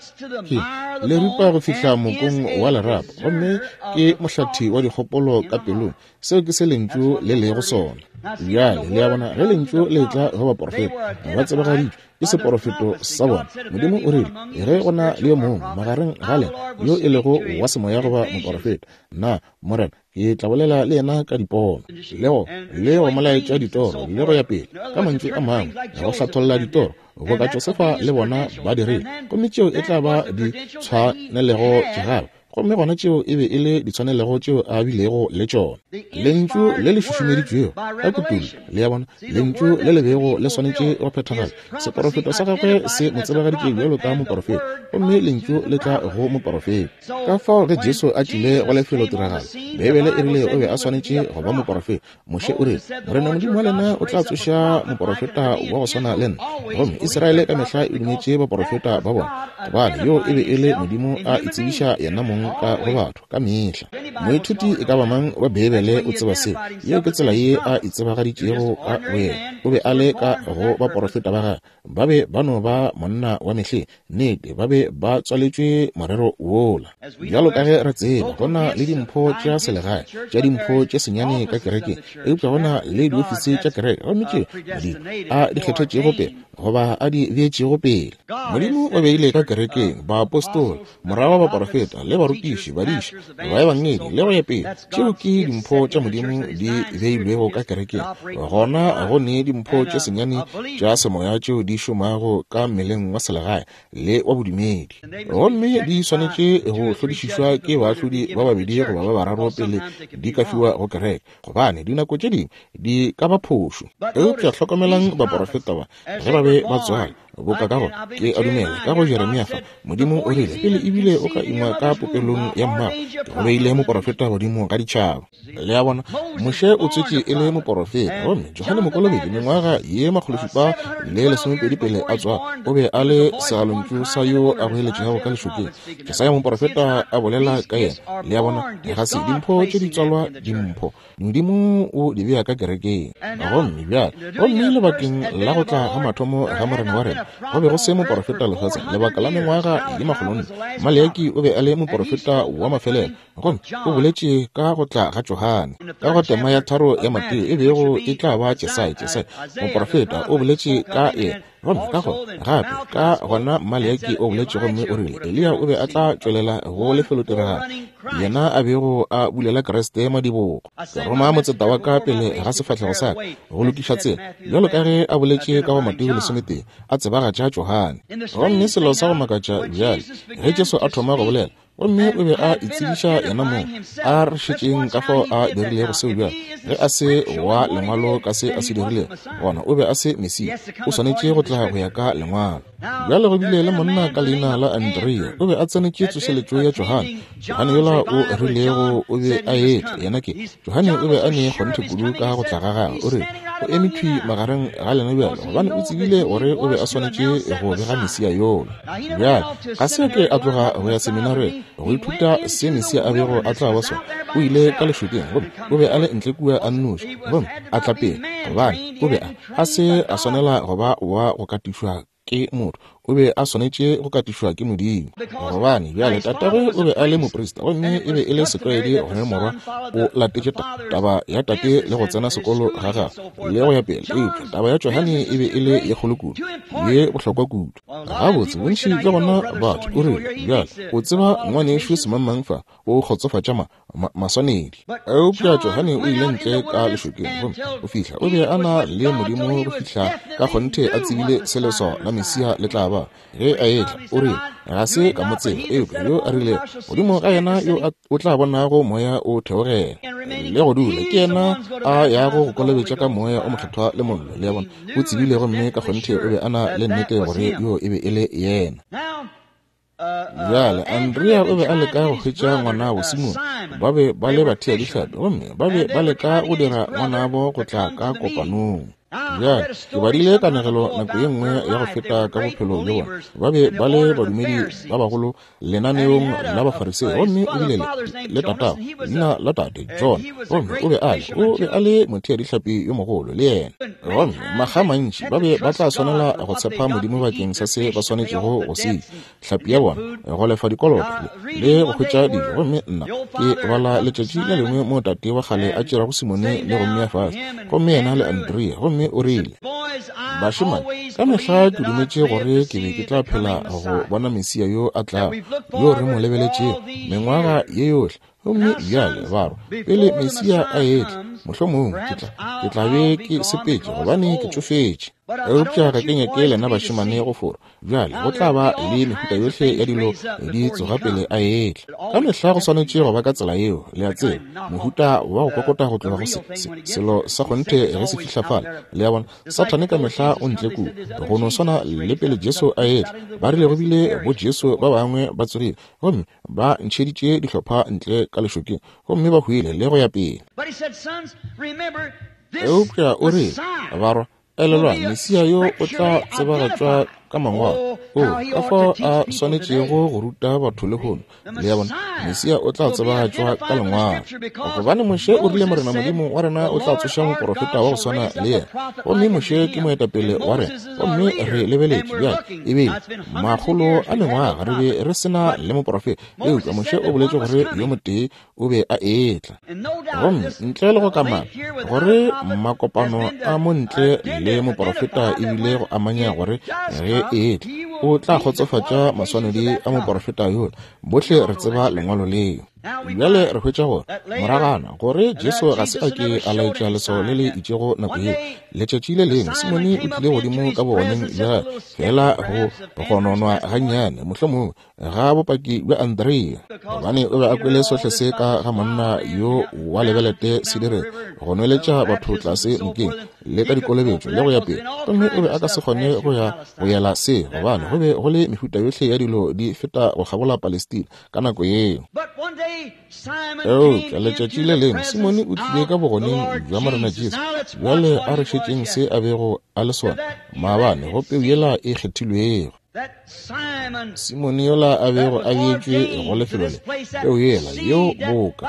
le ripa go fihla mokong wa lerapo, gomme ke mohlathi wa dikgopolo ka pelong. Seo ke se lentšu le lego sona. Bjale le a bona, ge lentšu le tla go baporofeta, ba tsebagaditšwe ke seporofeto sa bona. Modimo o rile, ge go na le yo mongwe magareng ga lena yo e lego wa semoya goba moporofeta, nna Morena ke tla bolela le yena ka dipono, le go le go molaetša ditoro, le go ya pele, ka mantšu a mangwe, go hlatholla ditoro, boka Josefa le bona ba dirile. Gomme tšeo e tla ba di tshwanelego tša gagwe. Gomme gona tšeo e be e le ditshwanelego tšeo a bilego le tšona. Lentšu le le šušumeditšwego ka kutullo, le a bona, lentšu le le bego le swanetše go phethagala. Seporofeto sa gagwe se mo tsebagaditše bjalo ka moporofeta, gomme lentšu le tla go moporofeta. Ka fao ge Jesu a tlile go lefelotiragalo, Beibele e rile o be a swanetše go ba moporofeta. Moshe o rile, Morena Modimo wa lena o tla tsoša moporofeta wa go swana le nna. Gomme Israele ka mehla e dumetše baporofeta ba bona, gobane yo e be e le Modimo a itsebiša yena mong ka go batho ka mehla. Moithuti e ka ba mang wa Beibele o tseba seo. Yeo ke tsela ye a itsebagaditšego ka boyena. O be a le ka go baporofeta ba gagwe. Ba be ba no ba monna wa mehleng. Nnete, ba be ba tswaletšwe morero wola. Bjalo ka ge re tseba, go na le dimpho tša selegae, tša dimpho tše senyane ka kerekeng, eupša go na le diofisi tša kereke, gomme tšeo Modimo a di kgethetšego pele goba a di beetšego pele. Modimo o beile ka kerekeng baapostola, morago baporofeta le barutiši, badiši, baebangedi le go ya pele. Tšeo ke dimpho tša Modimo di beilwego ka kerekeng. Gona go ne dimpho tše senyane tša semoya tšeo di šomago ka mmeleng wa selegae le wa bodumedi, gomme di swanetše go hlodišišwa ke baahlodi ba babedi goba ba bararo pele di ka fiwa go kereke, gobane dinako tše dingwe di ka ba phošo. Eupša hlokomelang baporofeta ba ge ba be ba tswala, boka ka go ke a dumela ka go Jeremia fa, Modimo o rile pele ebile o ka ingwa ka popelong ya mmago, ke go beile moporofeta godimo ga ditšhaba. Le a bona, Moshe o tswetše e le moporofeta, gomme Johane Mokolobetši mengwaga ye makgološupa le lesomepedi pele a tswa, o be a le segalontšu sa yo a goeletšego ka lešokeng. Jesaya moporofeta a bolela ka yena. Le a bona, ga se dimpho tše di tswalwa dimpho, Modimo o di bea ka kerekeng. Gomme bjale, gomme lebakeng la go tla ga mathomo ga Morena wa rena, go be go se moporofeta lefaseng lebaka la mengwaga ye makgolonne. Maleaki o be a le moporofeta wa mafelelo, gomme o boletše ka go tla ga Johane. Ka go tema ya tharo ya Mateo e bego e tla ba Jesaya, Jesaya moporofeta o boletše ka yena. Gomme ka go gape ka gona Maleaki o boletše gomme o rile Eliya o be a tla tšwelela go lefelotiragalo, yena a bego a bulela Kriste madibogo. Ke roma motseta wa ka pele ga sefahlego sa ka go lokiša tsela, bjalo ka ge a boletše ka go Mateo lesometee, a tsebagatša Johane. Gomme selo sa go makatša bjale, ge Jesu a thoma go bolela, gomme o be a itsebiša yena mong, a re šetšeng ka fao a dirilego seo bjale. Ge a se wa lengwalo ka se a se dirilego, gona o be a se Mesia, o swanetše go tla go ya ka lengwalo. Bjale go bile le monna ka leina la Andrea, o be a tsenetše tsošeletšo ya Johane. Johane yola o rilego o be a etla, yena ke Johane, o be a ne kgonthe kudu ka go tla ga gagwe. O rile o eme thwi magareng ga lena bjale, gobane o tsebile gore o be a swanetše go bega Mesia yola. Bjale ga se ke a tloga go ya seminareng go ithuta se Mesia a bego a tla ba sona. O ile ka lešokeng, gomme o be a le ntle kua a nnoši, gomme a tla pele, gobane o be a a se a swanela go ba wa go katišwa ke motho. O be a swanetše go katišwa ke Modimo. Gobane bjale tatagwe o be a le moprista, gomme e be e le setlwaedi gore morwa o latetše taba ya tate le go tsena sekolo ga gagwe le go ya pele. Eupša taba ya Johane e be e le ye kgolo kudu, ye bohlokwa kudu. Gabotse bontši bja bona batho o rile, bjale o tseba ngwanešu semangmang fa o kgotsofatša ma, ma, maswanedi. Eupša Johane o ile ntle ka lešokeng, gomme go fihla o be a na le Modimo go fihla ka kgonthe a tsebile se leswao la Mesia le tla ba. Ge a etla, o rile, ga se ka mo tseba, eupša yo a rilego godimo ga yena yo o tla bonago moya o theogela le go dula, ke yena a yago go kolobetša ka moya o mokgethwa le mollo. Le a bona, o tsebile gomme ka kgonthe o be a na le nnete gore yo e be e le yena. Bjale Andrea o be a leka go hwetša ngwanabo Simone. Ba be ba le bathea dihlapi, gomme ba be ba leka go dira ngwanabo go tla ka kopanong. Bjale ke badile kanegelo nako ye nngwe ya go feta ka bophelo bja bona. Ba be ba le badumedi ba bagolo lenaneong la Bafarisei, gomme o bile le, le tatago, leina la tate John, gomme o be a le o be a le mothea dihlapi yo mogolo le yena. Gomme makga mantši ba be ba tla swanela go tshepa Modimo bakeng sa se ba swanetšego go se hlapi ya bona, go lefa dikoloto le go hwetša dijo. Gomme nna ke bala letšatši le lengwe mo tate wa kgale a tšerago Simone le go mmea fase, gomme yena le Andrea, gomme o rile, bašemane, ka mehla ke dumetše gore ke be ke tla phela go bona Mesia yo a tlago, yo re mo lebeletšego mengwaga ye yohle. Gomme bjale barwa, pele Mesia a etla, mohlomongwe ke tla ke tla be ke sepetše, gobane ke tšofetše. Eupša ga ke nyake lena bašemane go forwa. Bjale go tla ba le mehuta yohle ya dilo di tsoga pele a etla. Ka mehla go swanetše go ba ka tsela yeo, le a tseba, mohuta wa go kokota go tloga go se, se, selo sa kgonthe ge se fihla fale. Le a bona, Sathane ka mehla o ntle kua, go no swana le pele Jesu a etla. Ba rile go bile bo Jesu ba bangwe ba tsogile, gomme ba ntšheditše dihlopha ntle ka lešokeng, gomme ba hwile le go ya pele. Eupša o rile, barwa, elelwang, Mesia yo o tla tsebagatšwa ka mangwalo. O, ka fao a swanetšego go ruta batho lehono. Le a bona, Mesia o tla tsebagatšwa ka lengwalo, gobane Moshe o rile Morena Modimo wa rena o tla tsoša moprofeta wa go swana le yena. Gomme Moshe ke moetapele wa rena, gomme re lebeletše bjale ebile makgolo a mengwaga re be re sena le moprofeta, eupša Moshe o boletše gore yo motee o be a etla. Gomme ntle le go kamana gore makopano a mo ntle le moprofeta ebile go amanya gore ge etla o tla kgotsofatša maswanedi a moprofeta yola. Bohle re tseba lengwalo leo. Bjale re hwetša gore moragana gore Jesu ga se a ke a laetša leswao le le itšego nako yeo. Letšatši le lengwe Simone o tlile godimo ka bogoneng bja fela go gononwa gannyane, mohlomongwe ga bopaki bja Andrea, gobane o be a kwele sohle se ka ga monna yo wa lebelete se dire go nweletša batho tlase nokeng le ka dikolobetšo le go ya pele. Gomme o be a ka se kgone go ya go yela se, gobane go be go le mehuta yohle ya dilo di feta go kgabola Palestina ka nako yeo. Eupša letšatši le lengwe Simone o tlile ka bogoneng bja Morena Jesu. Bjale a re šetšeng se a bego a le sona maabane go peu yela e kgethilwego. Simone yola a bego a beetšwe go lefelo le, peu yela yeo boka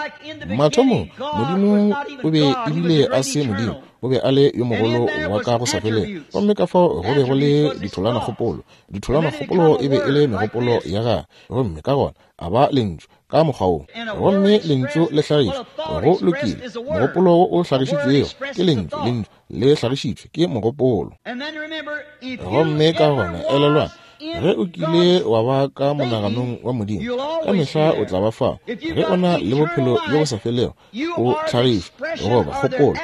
mathomong Modimo o be ebile a se Modimo, o be a le yo mogolo wa ka go sa felego. Gomme ka fao go be go le ditholanakgopolo, ditholanakgopolo e be e le megopolo ya gagwe, gomme ka gona a ba lentšu ka mokgwa wo, gomme lentšu le hlagišwa. Go lokile, mogopolo wo o hlagišitšwego ke lentšu, lentšu le hlagišitšwe ke mogopolo. Gomme ka gona elelwang, ge o kile wa ba ka monaganong wa Modimo, ka mehla o tla ba fao. Ge o na le bophelo bjo bo sa felego, o hlagišwa goba kgopolo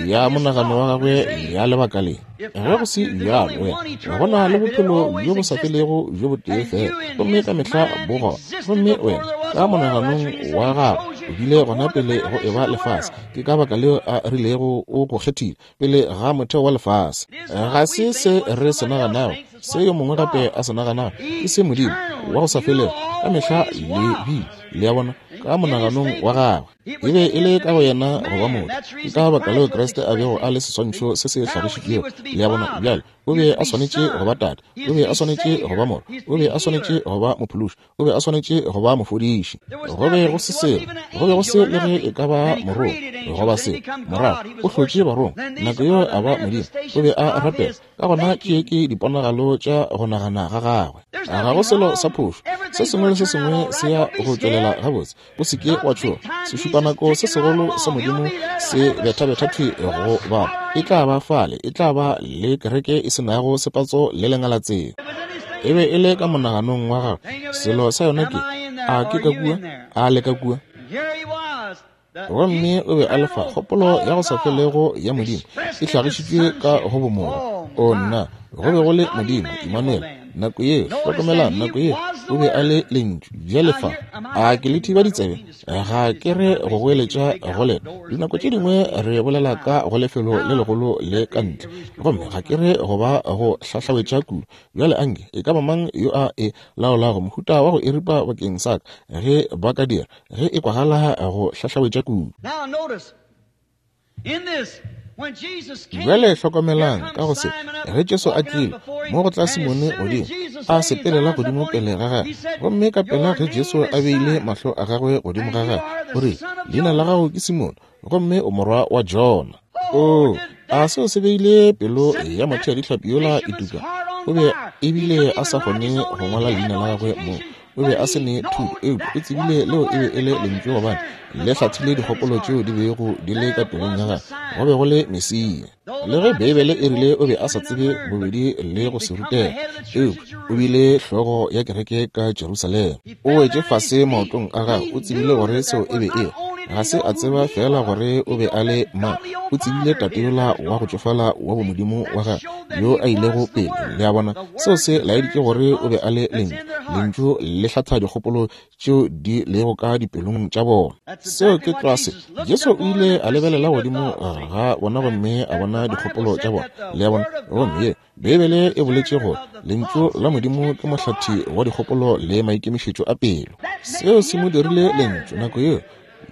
ya monagano wa gagwe ya lebaka le. Ge go se bjalo, wena go na le bophelo bjo bo sa felego bjo botee fela, gomme ka mehla bo gona. Gomme wena ka monaganong wa gagwe o bile gona pele go eba lefase. Ke ka baka leo a rilego o go kgethile pele ga motheo wa lefase. Ga se se re se naganago, se yo mongwe gape a se naganago, ke se Modimo wa go sa felego ka mehla le bile, le a bona, ka monaganong wa gagwe. E be e le ka go yena go ba motho. Ke ka baka leo Kriste a bego a le seswantšho se se hlagišitšwego. Le a bona? Bjale o be a swanetše go ba Tate, o be a swanetše go ba Morwa, o be a swanetše go ba Mophološi, o be a swanetše go ba Mofodiši. Go be go se selo, go be go se le ge e ka ba morongwa goba selo. Morago o hlotše barongwa, nako yeo a ba Modimo, o be a rapela. Ka gona tše ke diponagalo tša go nagana ga gagwe. Ga go selo sa phošo, se sengwe le se sengwe se ya go tšwelela gabotse. O se ke wa tšhoga. Sešupanako se segolo sa Modimo se bethabetha thwi go bapa. E tla ba fale, e tla ba le kereke e se nago sepatso le lengalatseng. E be e le ka monaganong wa gagwe. Selo sa yona ke, a ke ka kua, a le ka kua. Gomme o be a le fa kgopolo ya go sa felego ya Modimo e hlagišitšwe ka go bomorwa. O nna, go be go le Modimo Emmanuel nako yeo. Hlokomela, nako yeo o be a le Lentšu. Bjale fa, a ke le thiba ditsebe? Ga ke re go goeletša go lena. Dinako tše dingwe re bolela ka go lefelo le legolo le ka ntle, gomme ga ke re go ba go hlahlawetša kudu. Bjale anke e ka ba mang yo a e laolago mohuta wa go e ripa bakeng sa ka, ge ba ka dira, ge e kwagala go hlahlawetša kudu. Bjale hlokomelang ka go se, ge Jesu a tlile mo go tla Simone godimo, a sepelela godimo pele ga gagwe, gomme ka pela ge Jesu a beile mahlo a gagwe godimo ga gagwe, o rile, leina la gago ke Simone, gomme o morwa wa Jona. O, a seo se beile pelo ya motho ya dihlapi yola e tuka. O be ebile a sa kgone go ngwala leina la gagwe mo. O be a se ne thuto, eupša o tsebile leo e be e le lentšu, gobane le hlathile dikgopolo tšeo di bego di le ka pelong ya gagwe. Go be go le Mesia. Le ge Beibele e rile o be a sa tsebe bobedi le go se rutega, eupša o bile hlogo ya kereke ka Jerusalema. O wetše fase maotong a gagwe. O tsebile gore seo e be e ga se a tseba fela gore o be a le mang, o tsebile tate yola wa go tšofala wa bomodimo wa gagwe yo a ilego pele. Le a bona, seo se laeditše gore o be a le Lentšu. Lentšu le hlatha dikgopolo tšeo di lego ka dipelong tša bona. Seo ke tlwa se Jesu o ile a lebelela godimo ga bona gomme a bona dikgopolo tša bona. Le a bona, gomme ye Beibele e boletše gore Lentšu la Modimo ke mohlathi wa dikgopolo le maikemišetšo a pelo. Seo se mo dirile Lentšu nako yeo.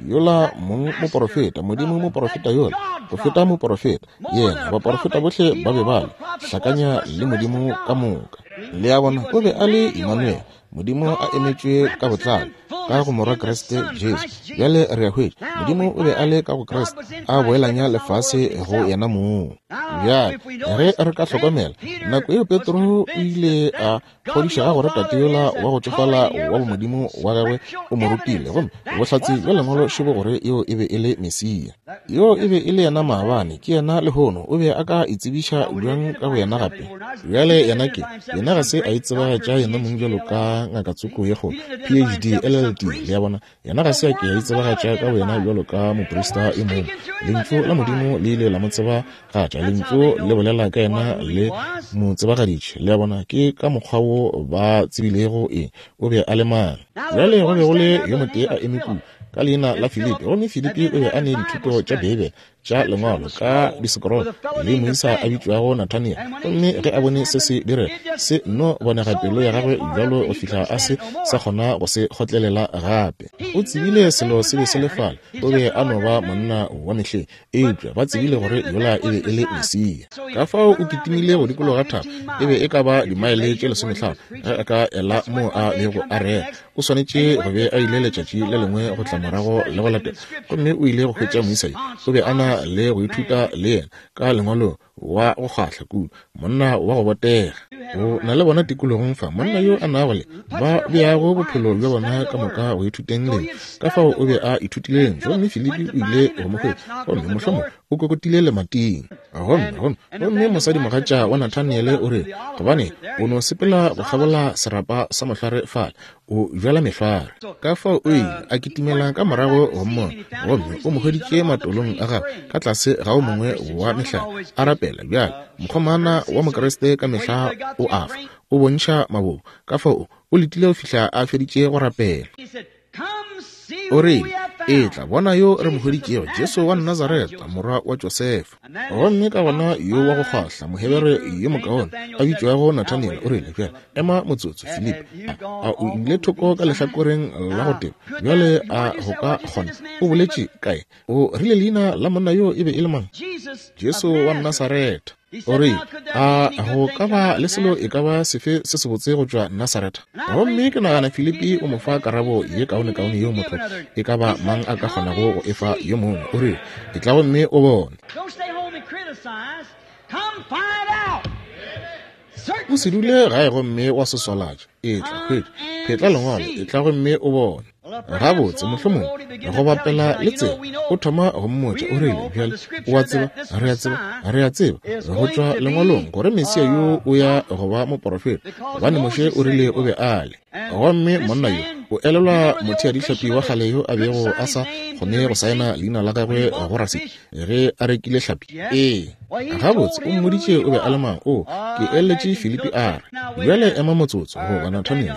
Yola mong moporofeta, Modimo moporofeta yola, go feta moporofeta yena, baporofeta bohle ba be ba le hlakanya le Modimo ka moka. Le a bona, o be a le Emmanuel, Modimo a emetšwe ka botlalo ka go morwa Kriste Jesu. Bjale re a hwetša, Modimo o be a le ka go Kriste, a boelanya lefase go yena mong. Bjale ge re ka hlokomela, nako yeo Petro o ile a kgodišega gore tate yola wa go tšofala wa bomodimo wa gagwe o mo rutile, gomme bohlatse bja lengwalo šebo gore yeo e be e le Mesia. Yo e be e le yena maabane, ke yena lehono. O be a ka itsebiša bjang ka go yena gape? Bjale yena ke, yena ga se a itsebagatša yena mong bjalo ka ngaka tsoko ye kgolo, P H D, L L D. Le a bona, yena ga se a ke a itsebagatša ka boyena bjalo ka moprista e mongwe. Lentšu la Modimo le ile la mo tsebagatša, Lentšu le bolela ka yena le mo tsebagaditše. Le a bona, ke ka mokgwa wo ba tsebilego eng o be a le mang. Bjale go be go le yo motee a eme kua ka leina la Filipi, gomme Filipi o be a ne dithuto tša Beibele tša lengwalo ka disekorolo le moisa a bitšwago Nathaniel. Gomme ge a bone se se direga, se nno bonega pelo ya gagwe bjalo go fihla a se sa kgona go se kgotlelela gape. O tsebile selo se be se le fale, o be a no ba monna wa mehleng, eupša ba tsebile gore yola e be e le Mesia. Ka fao o kitimile go dikologa thaba, e be e ka ba dimaele tše lesomehlano ge a ka ela moo a bego a rera. O swanetše go be a ile letšatši le lengwe go tla morago le go latela, gomme o ile go hwetša moisa yo. O be a na le go ithuta le yena ka lengwalo wa go kgahla kudu, monna wa go botega. O na le bona tikologong fa, monna yo a nago le ba beago bophelo bja bona ka moka go ithuteng lentšu. Ka fao o be a ithutile lentšu, gomme Filipi o ile go mo hwetša, gomme mohlomongwe o kokotile lemating. Gomme gomme gomme mosadimogatša wa Nathaniele o re, gobane o no sepela go kgabola serapa sa mohlware fale, o bjala mehlware. Ka fao o ile a kitimela ka morago go mmona, gomme o mo hweditše matolong a gagwe ka tlase ga o mongwe wa mehlare a rapela. Bjale mokgomana wa Mokriste ka mehla o a fa, o bontšha mabobo. Ka fao o letile go fihla a feditše go rapela. O rile, etla bona yo re mo hweditšego, Jesu wa Nazareta, morwa wa Josefa. Gomme ka gona yo wa go kgwahla, Mohebere yo mokaone a bitšwago Nathaniel, o rile, bjale ema motsotso, Filipi, a, a o ile thoko ka lehlakoreng la go teba? Bjale a go ka kgona? O boletše kae? O rile leina la monna yo e be e le mang? Jesu wa Nasaretha. O rile, a go ka ba le selo e ka ba sefe se sebotse go tšwa Nasaretha? Gomme ke nagana Filipi o mo fa karabo ye kaonekaone yeo motho e ka ba mang a ka kgonago go efa yo mongwe. O rile, etla gomme o bone. O se dule gae gomme wa se swalatša. Etla, hwetša, phetla lengwalo, etla gomme o bone. Gabotse, mohlomongwe go bapela le tsela, o thoma go mmotša. O rile, bjale o a tseba, re a tseba, re a tseba go tšwa lengwalong gore Mesia yo o ya go ba moporofeta, gobane Moshe o rile o be a le. Gomme monna yo o elelwa motheadihlapi wa kgale yo a bego a sa kgone go saena leina la gagwe go rasiti ge a rekile hlapi? Ee. Gabotse, o mmoditše o be a le mang. O, ke eletše Filipi a re, bjale ema motsotso, goba Nathaniel,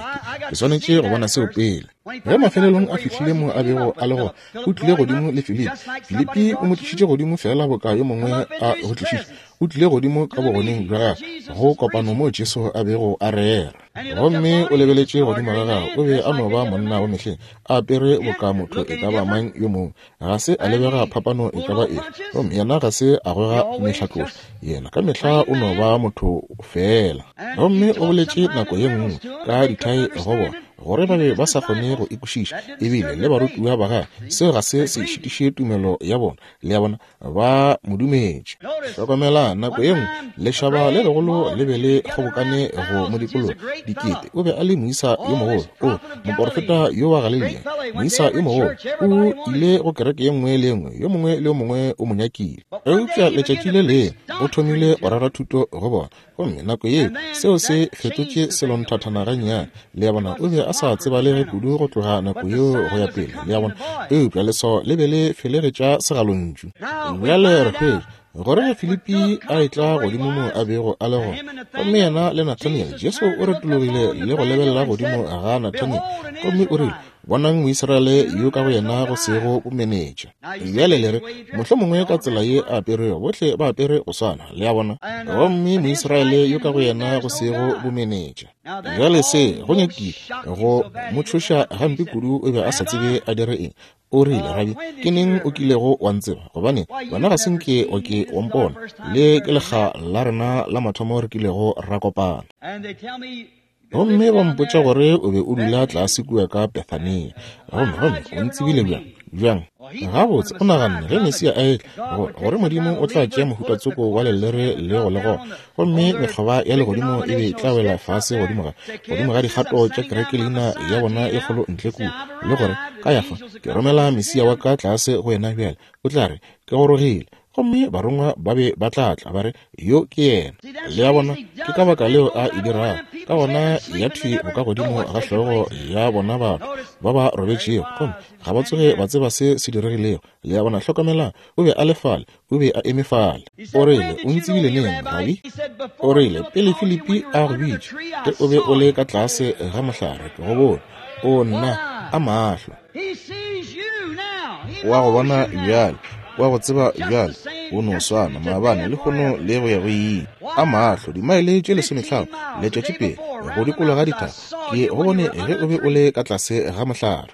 ke swanetše go bona seo pele. Ge mafelelong a fihlile mo a bego a le gona, o tlile godimo le Filipi. Filipi o mo tlišitše godimo feela boka yo mongwe a go tlišitše. O tlile godimo ka bogoneng bja gagwe go kopano mo Jesu a bego a rera. Gomme o lebeletše godimo ga gagwe, o be a no ba monna wa mehleng, a apere boka motho e ka ba mang yo mongwe. Ga se a lebega phapano e ka ba efe. Gomme yena ga se a goga mehlatloša, yena ka mehla o no ba motho fela. Gomme o boletše nako ye nngwe ka dithai go bona, gore ba be ba sa kgone go ikwešiša, ebile le barutiwa ba gagwe. Seo ga se se šitiše tumelo ya bona, le ya bona ba mo dumetše. Hlokomela, nako ye nngwe lešaba le legolo le be le kgobokane go mo dikologa, dikete. O be a le moisa yo mogolo, o moporofeta yo wa Galilea, moisa yo mogolo. O ile go kereke ye nngwe le ye nngwe, yo mongwe le yo mongwe o mo nyakile. Eupša letšatši le lengwe o thomile go rera thuto go bona, gomme nako yeo seo se fetotše selonthathana gannyane. Le ya bona, o be a sa tsebalege kudu go tloga nako yeo go ya pele, le ya bona. Eupša leswao le be le felegetša segalontšu. Bjale re hwetša gore ge Filipi a etla godimo mo a bego a le gona, gomme yena le Nathaniel, Jesu o retologile le go lebelela godimo ga Nathaniel, gomme o rile, bonang Moisraele yo ka go yena go sego bomenetša. Bjale le re, mohlomongwe ka tsela ye a aperego, bohle ba apere go swana, le a bona. Gomme Moisraele yo ka go yena go sego bomenetša. Bjale se go nyakile go mo tšhoša gampe kudu, o be a sa tsebe a dire eng. O rile, Rabi, ke neng o kilego wa ntseba? Gobane wena ga se nke o ke wa mpona. Le ke lekga la rena la mathomo re kilego ra kopana. Gomme ba mpotša gore o be o dula tlase kua ka Bethania. Gomme gomme o ntsebile bjang? Bjang? Gabotse, o naganne ge Mesia a etla gore Modimo o tla tšea mohuta tsoko wa lelere le go le gona, gomme mekgoba ya legodimo e be e tla wela fase godimo ga godimo ga dikgato tša kereke leina ya bona e kgolo ntle kua, le gore ka ya fa ke romela Mesia wa ka tlase go yena bjale, o tla re ke gorogile. Gomme barongwa ba be ba tla tla ba re, yo ke yena. Le ya bona, ke ka baka leo a e dirago. Ka gona ya thwi boka godimo ga hlogo ya bona batho ba ba robetšego, gomme ga ba tsoge ba tseba se se diregilego. Le ya bona, hlokomela, o be a le fale, o be a eme fale. O rile, o ntsebile neng, Rabi? O rile, pele Filipi a go bitša, ge o be o le ka tlase ga mohlare, ke go bone. O nna, a mahlo. Wa go bona bjale, wa go tseba bjale, o no swana maabane lehono le go ya go ile. A mahlo, dimaele tše lesomehlano letšatši pele go dikologa dithaba, ke go bone ge o be o le ka tlase ga mohlare.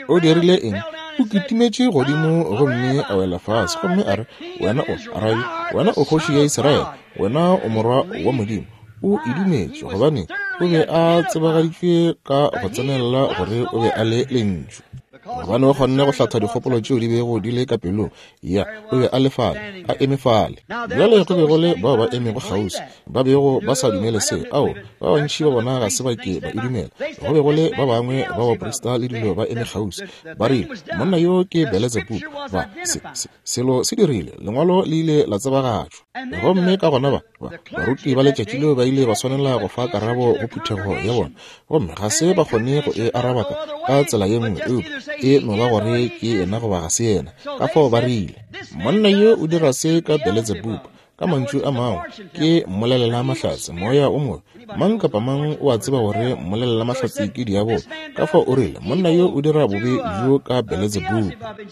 O dirile eng? O kitimetše godimo gomme a wela fase, gomme a re, wena o Rabi, wena o kgoši ya Israele, wena o morwa wa Modimo. O e dumetše gobane o be a tsebagaditšwe ka go tsenelela gore o be a le lentšu. Gobane o kgonne go hlatha dikgopolo tšeo di bego di le ka pelong ya, o be a le fale, a eme fale. Bjale go be go le bao ba emego kgauswi ba bego ba sa dumele se. Ao, ba bantši ba bona ga se ba ke ba e dumela. Go be go le ba bangwe ba baprista le dilo ba eme kgauswi, ba rile, monna yo ke Beletsebubu. Ba se, se, selo se dirile, lengwalo le ile la tsebagatšwa. Gomme ka gona ba baruti ba letšatši leo ba ile ba swanela go fa karabo go phuthego ya bona, gomme ga se ba kgone go e araba ka tsela ye nngwe, eupša e no ba gore ke yena goba ga se yena. Ka fao ba rile, monna yo o dira se ka Beletsebubu. Ka mantšu a mangwe, ke mmolelela mahlatse, moya o mobe. Mang kapa mang o a tseba gore mmolelela mahlatse ke diabolo. Ka fao o rile, monna yo o dira bobe bjo ka Beletsebubu.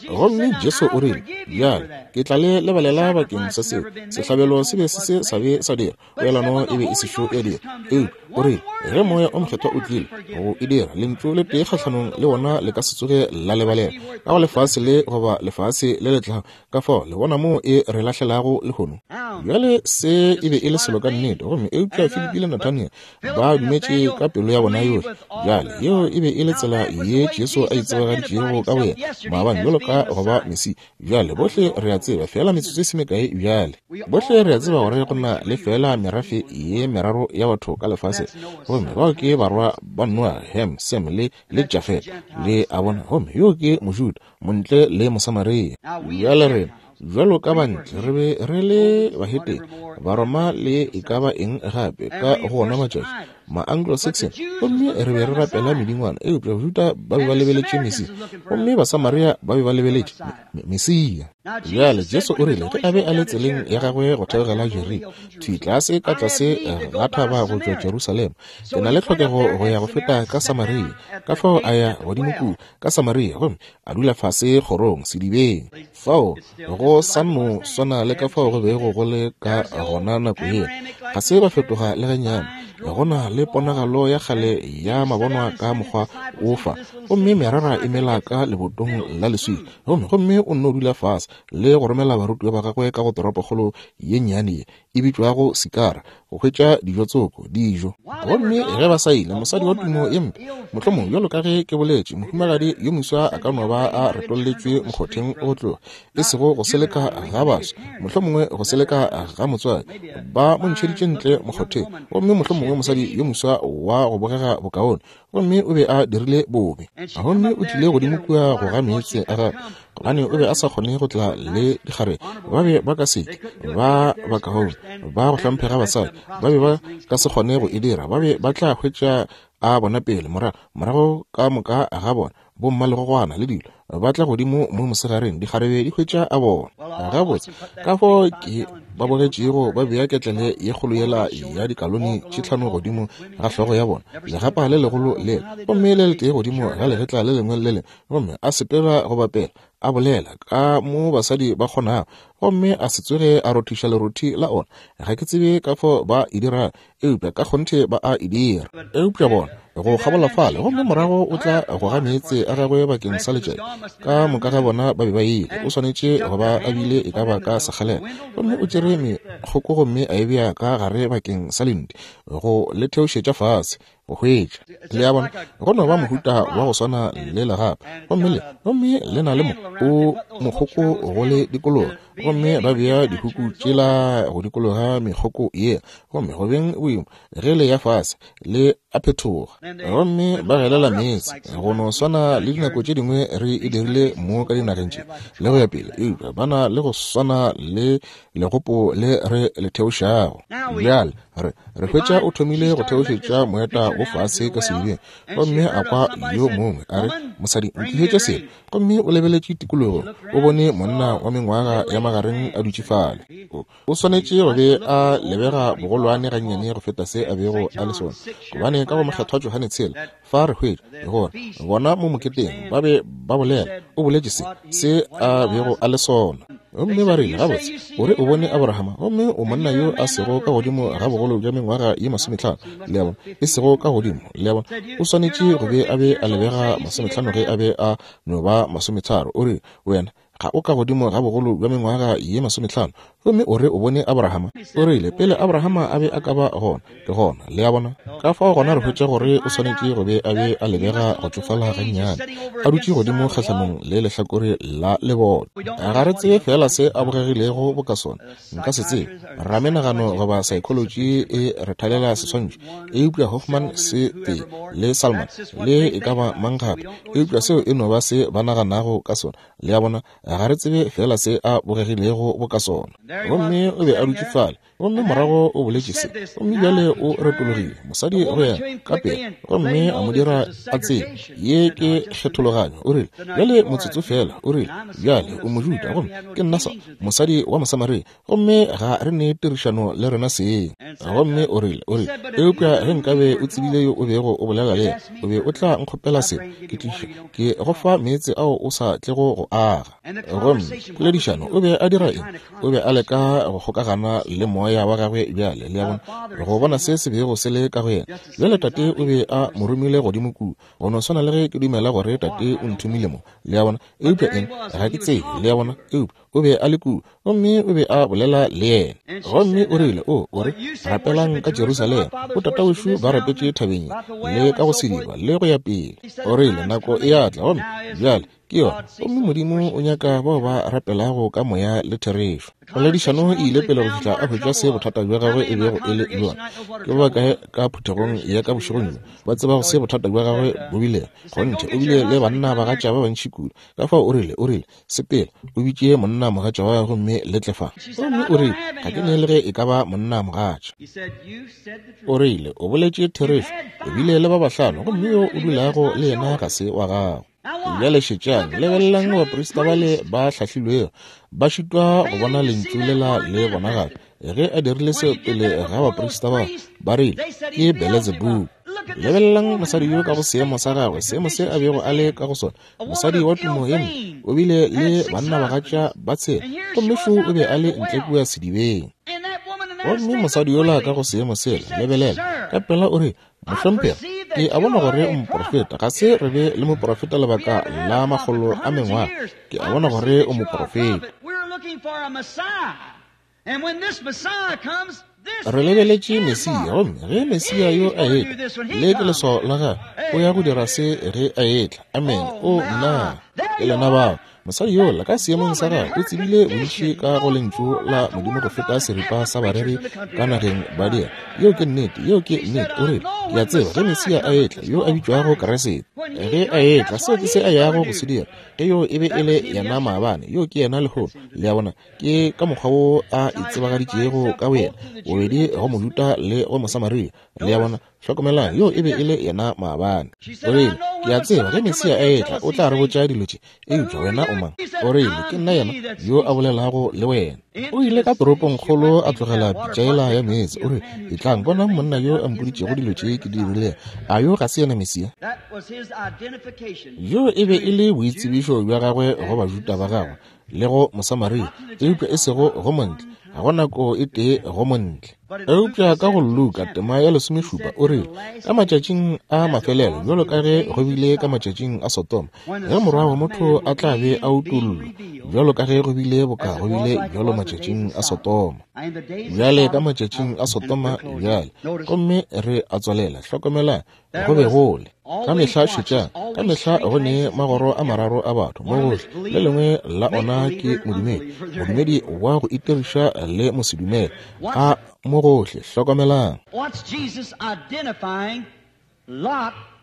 Gomme Jesu o rile, bjale, ke tla le lebalela bakeng sa seo. Sehlabelo se be se se sa be sa dira, poelano e be e sešo ya dira. Eupša o rile, ge moya o mokgethwa o tlile go e dira, lentšu le tee kgahlanong le wona le ka se tsoge la lebalela ka go lefase le goba lefase le le tlago. Ka fao le bona moo e re lahlelago lehono. Bjale se e be e le selo ka nnete, gomme eupša Filipi le Nathaniel ba dumetše ka pelo ya bona yohle. Bjale yeo e be e le tsela ye Jesu a itsebagaditšego ka boyena maabane bjalo ka go ba Mesia. Bjale bohle re a tseba, fela metsotso e se mekae bjale, bohle re a tseba gore go na le fela merafe ye meraro ya batho ka lefaseng, gomme bao ke barwa ba Noa, Ham, Sem le le Jafet. Le a bona, gomme yo ke Mojuda, Montle le Mosamaria. Bjale rena bjalo ka bantle re be re le bahetene, Baroma le e ka ba eng gape ka go ona matšatši, ma-Anglo-Saxon, gomme re be re rapela medingwana. Eupša Bajuda ba be ba lebeletše Mesia, gomme Basamaria ba be ba lebeletše Mesia. Bjale Jesu o rile ge a be a le tseleng ya gagwe go theogela Jeriko, thwi tlase ka tlase ga thaba go tšwa Jerusalema, ke na le tlhokego go ya go feta ka Samaria. Ka fao a ya godimo kua ka Samaria, gomme a dula fase kgorong sedibeng. Fao go sa no swana le ka fao go bego go le ka gona nako yela, ga se ba fetoga le gannyane. Go na le ponagalo ya kgale ya mabonwa ka mokgwa o fa, gomme merara e mela ka lebotong la leswika. Gomme gomme o nno dula fase le go romela barutiwa ba gagwe ka go toropokgolo ye nnyane ye e bitšwago Sikara go hwetša dijo tsoko, dijo. Gomme ge ba sa ile, mosadi wa tumo ye mpe, mohlomong bjalo ka ge ke boletše, mohumagadi yo moswa a ka no ba a retolletšwe mokgotheng o tloga, e sego go seleka ga baswa, mohlomongwe go seleka ga motswadi, ba mo ntšheditše ntle mokgotheng. Gomme mohlomongwe mosadi yo moswa wa go bogega bokaone, gomme o be a dirile bobe, gomme o tlile godimo kua go ga meetse a gagwe, gobane o be a sa kgone go tla le dikgarebe. Ba be ba ka se ke ba bakaone ba go hlomphega basadi, ba be ba ka se kgone go e dira. Ba be ba tla hwetša a bona pele, morago morago ka moka ga bona bomma le gogwana le dilo ba tla godimo mo mosegareng, dikgarebe di hwetša a bona. Gabotse, ka fao ke ba bogetšego ba bea ketlele ye kgolo yela ya dikalone tše tlhano godimo ga hlogo ya bona, legapa le legolo le, gomme le letee godimo ga legetla le lengwe le lengwe, gomme a sepela go bapela, a bolela ka mo basadi ba kgonago, gomme a se tsoge a rothiša lerothi la ona. Ga ke tsebe ka fao ba e dira, eupša ka kgonthe ba a e dira. Eupša bona go kgabola fale, gomme morago o tla goga meetse a gagwe bakeng sa letšatši. Ka moka ga bona ba be ba ile, o swanetše go ba a bile e ka ba ka sekgalela. Gomme o tšere mekgoko gomme a e bea ka gare bakeng sa lenti go le theošetša fase go hwetša. Le a bona, go no ba mohuta wa go swana le legapa, gomme le gomme le na le mo o mokgoko go le dikologa, gomme ba bea dihuku tšela go dikologa mekgoko ye, gomme go beng boima ge le ya fase le a phetoga, gomme ba gelela meetse. Go no swana le dinako tše dingwe re e dirile mo ka dinageng tše le go ya pele, eupša ba na le go swana le legopo le re le theošago. Bjale re re hwetša o thomile go theošetša moeta wo fase ka sedibeng, gomme a kwa yo mongwe a re, mosadi, ntlišetše selo. Gomme o lebeletše tikologo, o bone monna wa mengwaga ya magareng a dutše fale. O swanetše go be a lebega bogolwane gannyane go feta se a bego a le sona, gobane ka go mokgethwa Johane tshela fa re hwetša gore bona mo moketeng ba be ba bolela, o boletše se se a bego a le sona. Gomme ba rile, gabotse, o re o bone Abrahama, gomme o monna yo a sego ka godimo ga bogolo bja mengwaga ye masometlhano. Le a bona, e sego ka godimo. Le a bona, o swanetše go be a be a lebega masometlhano ge a be a no ba masometharo. O re, wena ga o ka godimo ga bogolo bja mengwaga ye masometlhano, gomme o re o bone Abrahama. O rile, pele Abrahama a be a ka ba gona, ke gona. Le a bona, ka fao gona re hwetša gore o swanetše go be a be a lebega go tšofala gannyane, a dutše godimo kgahlanong le lehlakore la leboto. Ga re tsebe fela se a bogegilego boka sona, nka se tsebe. Ramenagano goba psychology e re thalela seswantšho, eupša Hoffman se tee le Salman le e ka ba mang gape, eupša seo e no ba se ba naganago ka sona. Le a bona, ga re tsebe fela se a bogegilego boka sona. Gomme o be a dutše fale, Gomme morago o boletše se, gomme bjale o retologile mosadi go yena ka pele, gomme a mo dira a tsebe ye ke kgethologanyo. O rile, bjale motsotso fela, o rile, bjale o Mojuda, gomme ke nna sa mosadi wa Mosamaria, gomme ga re ne tirišano le rena seng. Gomme o rile, o rile, eupša ge nkabe o tsebile yo o bego o bolela le yena, o be o tla nkgopela se, ke tliša ke go fa meetse ao o sa tlego go aga. Gomme poledišano, o be a dira eng? O be a leka go kgokagana le moya wa gagwe bjale, le a bona, go bona se se bego se le ka go yena. Bjale tate o be a mo romile godimo kua, go no swana le ge ke dumela gore tate o nthomile mo, le a bona, eupša eng, ga ke tsebe, le a bona, eupša o be a le kua, gomme o be a bolela le yena. Gomme o rile, o, o re, rapelang ka Jerusalema, o tatawešu ba rapetše thabeng le ka go sediba le go ya pele. O rile, nako e a tla, gomme bjale ke yona, gomme Modimo o nyaka bao ba rapelago ka moya le therešo. Poledišano e ile pele go fihla a hwetša se bothata bja gagwe e bego e le bjona. Ke ba bakae ka phuthegong ya ka bošegong bjo ba tsebago se bothata bja gagwe bo bilego? Kgonthe, o bile le banna bagatša ba bantši kudu. Ka fao o rile, o rile, sepela, o bitše monna mogatša wa gagwe gomme le tle fa. Gomme o rile, ga ke ne le ge e ka ba monna mogatša. O rile, o boletše therešo, o bile le ba bahlano, gomme yo o dulago le yena ga se wa gago. Bjale šetšang, lebelelang baprista bale ba hlahlilwego, ba šitwa go bona lentšu lela le bonagala. Ge a dirile seo pele ga baprista ba, ba rile, ke Beelzebub. Lebelelang mosadi yo ka go seemo sa gagwe, seemo se a bego a le ka go sona, mosadi wa tumo ye mpe, o bile le bannabagatša ba tshela, gomme šo o be a le ntle kua sedibeng. Gomme mosadi yola ka go seemo sela, lebelela, ka pela o re, mohlomphegi, ke a bona gore o moprofeta. Ga se re be le moprofeta lebaka la makgolo a mengwaga. Ke a bona gore o moprofeta. Re lebeletše Mesia, gomme ge Mesia yo a etla, le ke leswao la gagwe, o ya go dira se ge a etla. Amen. O nna, ke lena bao. Mosadi yola ka seemong sa gagwe o tsebile bontši ka go lentšu la Modimo go feta seripa sa bareri ka nageng ba dira. Yeo ke nnete, yeo ke nnete. O rile, ke a tseba ge Mesia a etla, yo a bitšwago Kriste, ge a etla, seo ke se a yago go se dira. Ge yo e be e le yena maabane, yo ke yena lehono. Le a bona, ke ka mokgwa wo a itsebagaditšego ka boyena, bobedi go Mojuda le go Mosamaria. Le a bona, hlokomelang, yo e be e le yena maabane. O rile, ke a tseba ge Mesia a etla, o tla re botša dilo tše, eupša wena o mang? O rile, ke nna yena yo a bolelago le wena. O ile ka toropongkgolo a tlogela pitša yela ya meetse. O rile, etlang bonang monna yo a mpoditšego dilo tše ke di dirilego. A yo ga se yena Mesia? Yo e be e le boitsebišo bja gagwe go Bajuda ba gagwe le go Mosamaria, eupša e sego go montle. Ga go nako e tee go montle. Eupša ka go Luka tema ya lesomešupa o rile, ka matšatšing a mafelelo, bjalo ka ge go bile ka matšatšing a Sodoma, ge morwa wa motho a tla be a utollwa, bjalo ka ge go bile boka go bile bjalo matšatšing a Sodoma. Bjale ka matšatšing a Sodoma bjale, gomme re a tswalela, hlokomelang, go be gole. Ka mehla šetšang, ka mehla go ne magoro a mararo a batho mo gohle. Le lengwe la ona ke modumedi, modumedi wa go itiriša le mosedumele. A mo gohle, hlokomelang.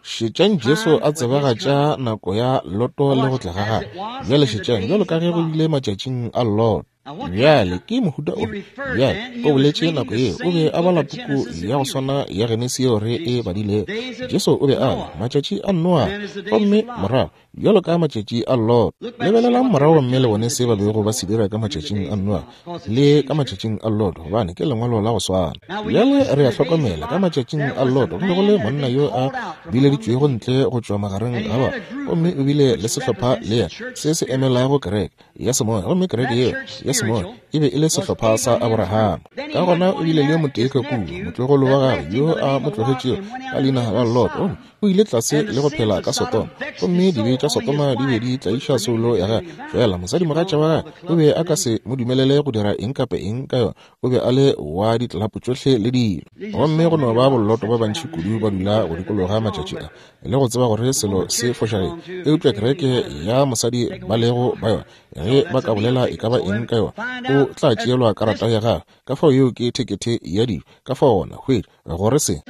Šetšang Jesu a tsebagatša nako ya Loto le go tla ga gagwe. Bjale šetšang, bjalo ka ge go bile matšatšing a Loto. Bjale ke mohuta o bjale o boletše nako yeo, o be a bala puku ya go swana ya Genesi yeo re e badilego. Jesu o be a le matšatši a Noa, gomme morago bjalo ka matšatši a Lot. Lebelelang morago mme le bone se ba bego ba se dira ka matšatšing a Noa le ka matšatšing a Lot, gobane ke lengwalo la go swana. Bjale re a hlokomela, ka matšatšing a Lot go be go le monna yo a bileditšwego ntle go tšwa magareng ga batho, gomme o bile le sehlopha le yena se se emelago kereke ya semoya, gomme kereke yeo ya semoya e be e le sehlopha sa Abrahama. Ka gona o bile le motee ka kua, motlogolo wa gagwe yo a mo tlogetšego ka leina la Lot, gomme o ile tlase le go phela ka Sodoma, gomme dibe tša Sodoma di be di tlaiša soulo ya gagwe. Fela mosadimogatša wa gagwe o be a ka se mo dumelele go dira eng kapa eng ka yona, o be a le wa ditlelapo tšohle le dilo. Gomme go no ba bolloto ba bantši kudu ba dula go dikologa matšatši a, le go tseba gore selo se fošagetse, eupša kereke ya mosadi ba lego ba yona, ge ba ka bolela e ka ba eng ka yona, o tla tšeelwa karata ya gagwe. Ka fao yeo ke thekethe ya dijo. Ka fao gona hwetša gore se.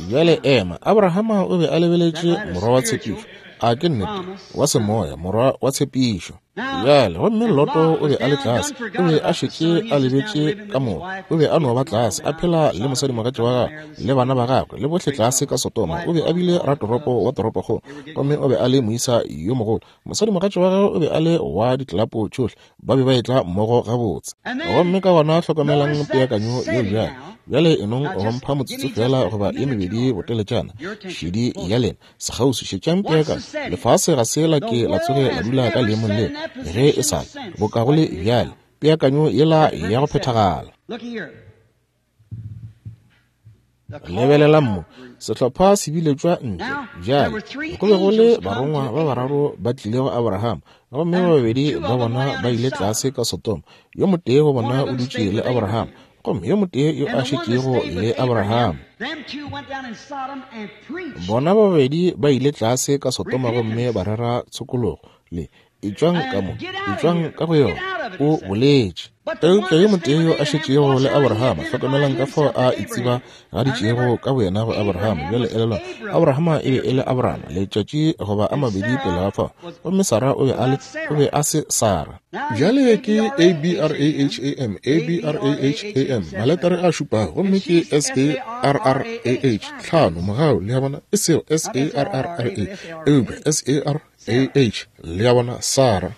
Bjale ema, Abrahama o be a lebeletše morwa wa tshepišo. A ke nnete? Wa semoya, morwa wa tshepišo. Bjale, gomme Loto o be a le tlase, o be a šetše a lebetše ka moka, o be a no ba tlase, a phela le mosadimogatša wa gagwe le bana ba gagwe le bohle tlase ka Sodoma. O be a bile ratoropo wa toropokgolo, gomme o be a le moisa yo mogolo. Mosadimogatša wa gagwe o be a le wa ditlelapo tšohle, ba be ba etla mmogo gabotse. Gomme ka gona hlokomelang peakanyo yeo bjale. Bjale enong go mpha motsotso fela goba ye mebedi boteletšana. Šedi ya lena sekgauswi, šetšang peakanyo. Lefase ga se la ke la tsoge la dula ka leemong leo ge e sa le boka go le bjale, peakanyo yela ya go phethagala. Lebelelang mo, sehlopha se biletšwa ntle. Bjale go be go le barongwa ba bararo ba tlile go Abraham, gomme ba babedi ba bona ba ile tlase ka Sodoma. Yo motee go bona o dutše le Abraham, gomme yo motee yo a šetšego le Abraham. Bona ba babedi ba ile tlase ka Sodoma gomme ba rera tshokologo le etšwang ka mo, etšwang ka go yona, o boletše. Eupša yo motee yo a šetšego le Abraham, hlokomelang ka fao a itseba gaditšego ka boyena go Abraham. Bjale elelwang, Abraham e be e le Abraham letšatši goba a mabedi pele ga fao, gomme Sara o be a le, o be a se Sara. Bjale ke A B R A H A M, A B R A H A M, maletere a šupago, gomme ke S A R R A H, tlhano, mogau, le a bona, e sego S A R R R A, eupša S A R A H, le a bona, Sara.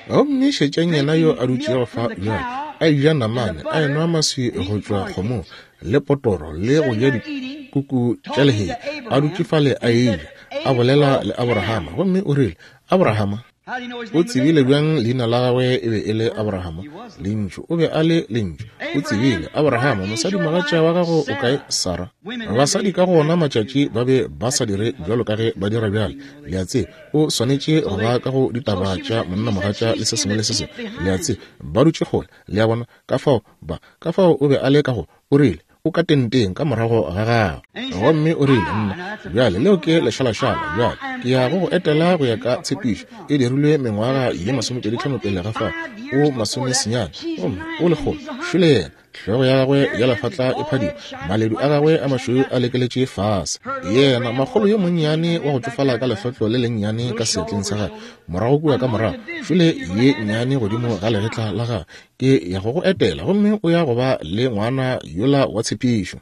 Gomme šetšang yena yo a dutšego fa bjale, a eja namane, a enwa maswi go tšwa kgomong, le potoro, le go ja dikuku tša lehea, a dutše fale a eja, a bolela le Abrahama. Gomme o rile, Abrahama, o tsebile bjang leina la gagwe e be e le Abrahama? Lentšu, o be a le Lentšu. O tsebile, Abrahama, mosadimogatša wa gago o kae, Sara? Basadi ka go ona matšatši ba be ba sa dire bjalo ka ge ba dira bjale. Le a tseba, o swanetše go ba ka go ditaba tša monnamogatša le se sengwe le se sengwe. Le a tseba, ba dutše kgole. Le a bona, ka fao ba, ka fao o be a le ka go, o rile, o ka tenteng ka morago ga gago. Gomme o rile, nna, bjale leo ke lešalašala, bjale ke ya go go etela go ya ka tshepišo e dirilwe mengwaga ye masomepedi tlhano pele ga fao, o masomesenyane, gomme o lekgolo, šole yena, hlogo ya gagwe ya lefatla e phadima, maledu a gagwe a mašweu a lekeletše fase. Yena makgolo yo monnyane wa go tšofala ka lehlotlo le lennyane ka seatleng sa gagwe, morago kua ka morago, šole ye nnyane godimo ga legetla la gagwe, ke ya go go etela, gomme o ya go ba le ngwana yola wa tshepišo.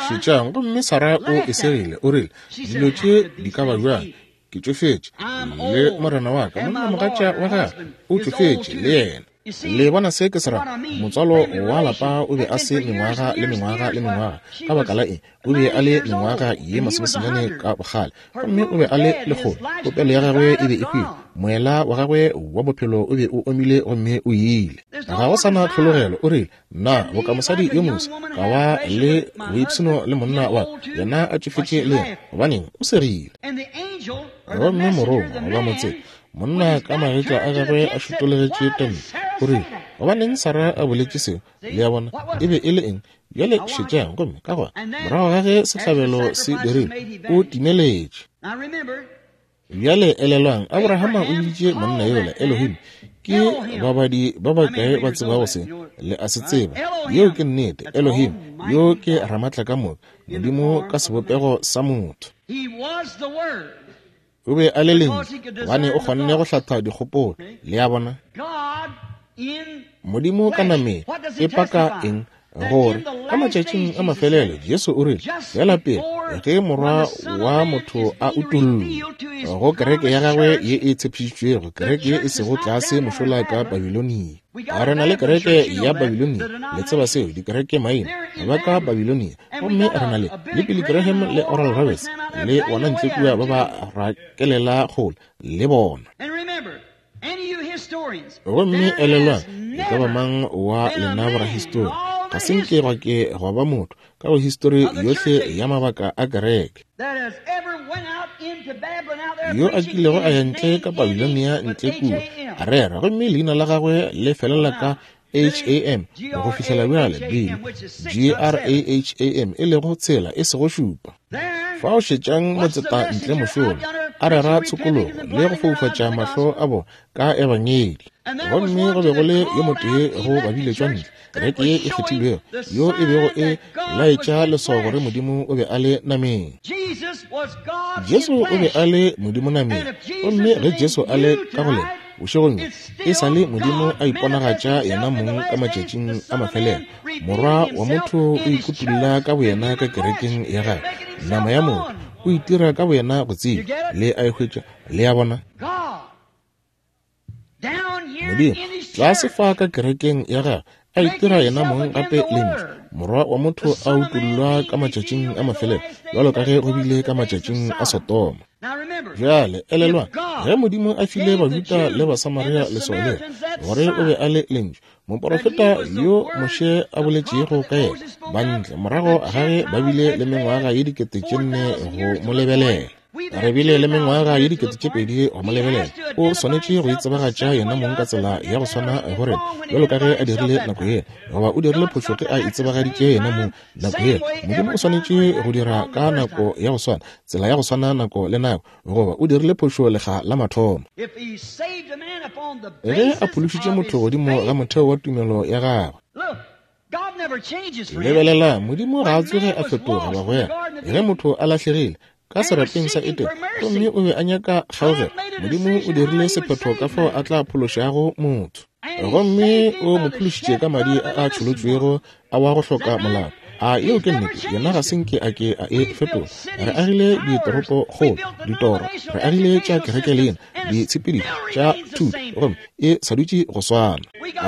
Šetšang, gomme Sara o e segile, o rile, dilo tše di ka ba bjang? Ke tšofetše, le morena wa ka, monnamogatša wa gagwe o tšofetše le yena. Le bona se ke se ra? Motswalo wa lapa o be a se mengwaga le mengwaga le mengwaga. Ka baka la eng? O be a le mengwaga ye masomesenyane ka bokgale, gomme o be a le lekgolo. Popelo ya gagwe e be e hwile, moela wa gagwe wa bophelo o be o omile gomme o ile. Ga go sa na tlhologelo. O rile, nna boka mosadi yo moswa ka ba le boipshino le monna wa ka, yena a tšofetše le yena, gobaneng o segile. Gomme morongwa goba motse, monna ka magetla a gagwe a šutolegetše tente, o rile, gobaneng Sara a boletše seo? Le a bona, e be e le eng? Bjale šetšang, gomme ka gona morago ga ge sehlabelo se dirilwe, o timeletše. Bjale elelwang, Abrahama o biditše monna yola Elohim. Ke babadi ba bakae ba tsebago se? Le a se tseba. Yeo ke nnete. Elohim, yo ke Ramatla ka moka, Modimo ka sebopego sa motho. O be a le Lentšu, gobane o kgonne go hlatha dikgopolo. Le a bona? Modimo ka nameng e paka eng? Gore ka matšatšing a mafelelo Jesu o rile, fela pele ge morwa wa motho a utollwa go kereke ya gagwe ye e tshepišitšwego, kereke ye e sego tlase mošola ka Babilonia. A re na le kereke ya Babilonia, le tseba seo, dikereke maina ba ka Babilonia, gomme re na le le Billy Graham le Oral Roberts le bona ntle kua ba ba rakelela kgole le bona. Gomme elelwang, e ka ba mang wa lena borahistori, ga se nke gwa ke gwa ba motho ka go histori yohle ya mabaka a kereke yo a kilego a ya ntle ka Babilonia ntle kua a rera, gomme leina la gagwe le felela ka H A M go fihlela bjale B G R A H A M, e lego tshela e sego šupa. Fao šetšang motseta ntle mošola, a rera tshokologo le go foufatša mahlo a bona ka ebangedi. Gomme go be go le yo motee go babiletšwa ntle, kereke ye e kgethilwego, yo e bego e laetša leswao gore Modimo o be a le nameng. Jesu o be a le Modimo nameng. Gomme ge Jesu a le ka go lena bošegong bjo, e sa le Modimo a iponagatša yena mong ka matšatšing a mafelelo. Morwa wa motho o ikutulla ka boyena ka kerekeng ya gagwe, nama ya motho, o itira ka boyena go tseba. Le a e hwetša? Le a bona? Modimo tlase fa ka kerekeng ya gagwe a itira yena mong gape lentšu, Morwa wa motho a utollwa ka matšatšing a mafelelo, bjalo ka ge go bile ka matšatšing a Sodoma. Bjale elelwang, ge Modimo a file Bajuda le Basamaria leswao lela gore o be a le lentšu, moporofeta yo Moshe a boletšego ka yena, bantle morago ga ge ba bile le mengwaga ye dikete tše nne go mo lebelela, re bile le mengwaga ye dikete tše pedi go mo lebelela, o swanetše go itsebagatša yena mong ka tsela ya go swana go rena bjalo ka ge a dirile nako yela, goba o dirile phošo ge a itsebagaditše yena mong nako yela. Modimo o swanetše go dira ka nako ya go swana, tsela ya go swana nako le nako, goba o dirile phošo lekga la mathomo. Ge a phološitše motho godimo ga motheo wa tumelo ya gagwe, lebelela, Modimo ga a tsoge a fetoga, bagwera. Ge motho a lahlegile ka serapeng sa Edene gomme o be a nyaka kgaogelo, Modimo o dirile sephetho ka fao a tla phološago motho, gomme o mo phološitše ka madi a a tšholotšwego a wa go hloka molato. A yeo ke nnete? Yena ga se nke a ke a e fetola. Re agile ditoropokgolo, ditoro, re agile tša kereke lena, ditshepedišo tša thuto, gomme e sa dutše go swana.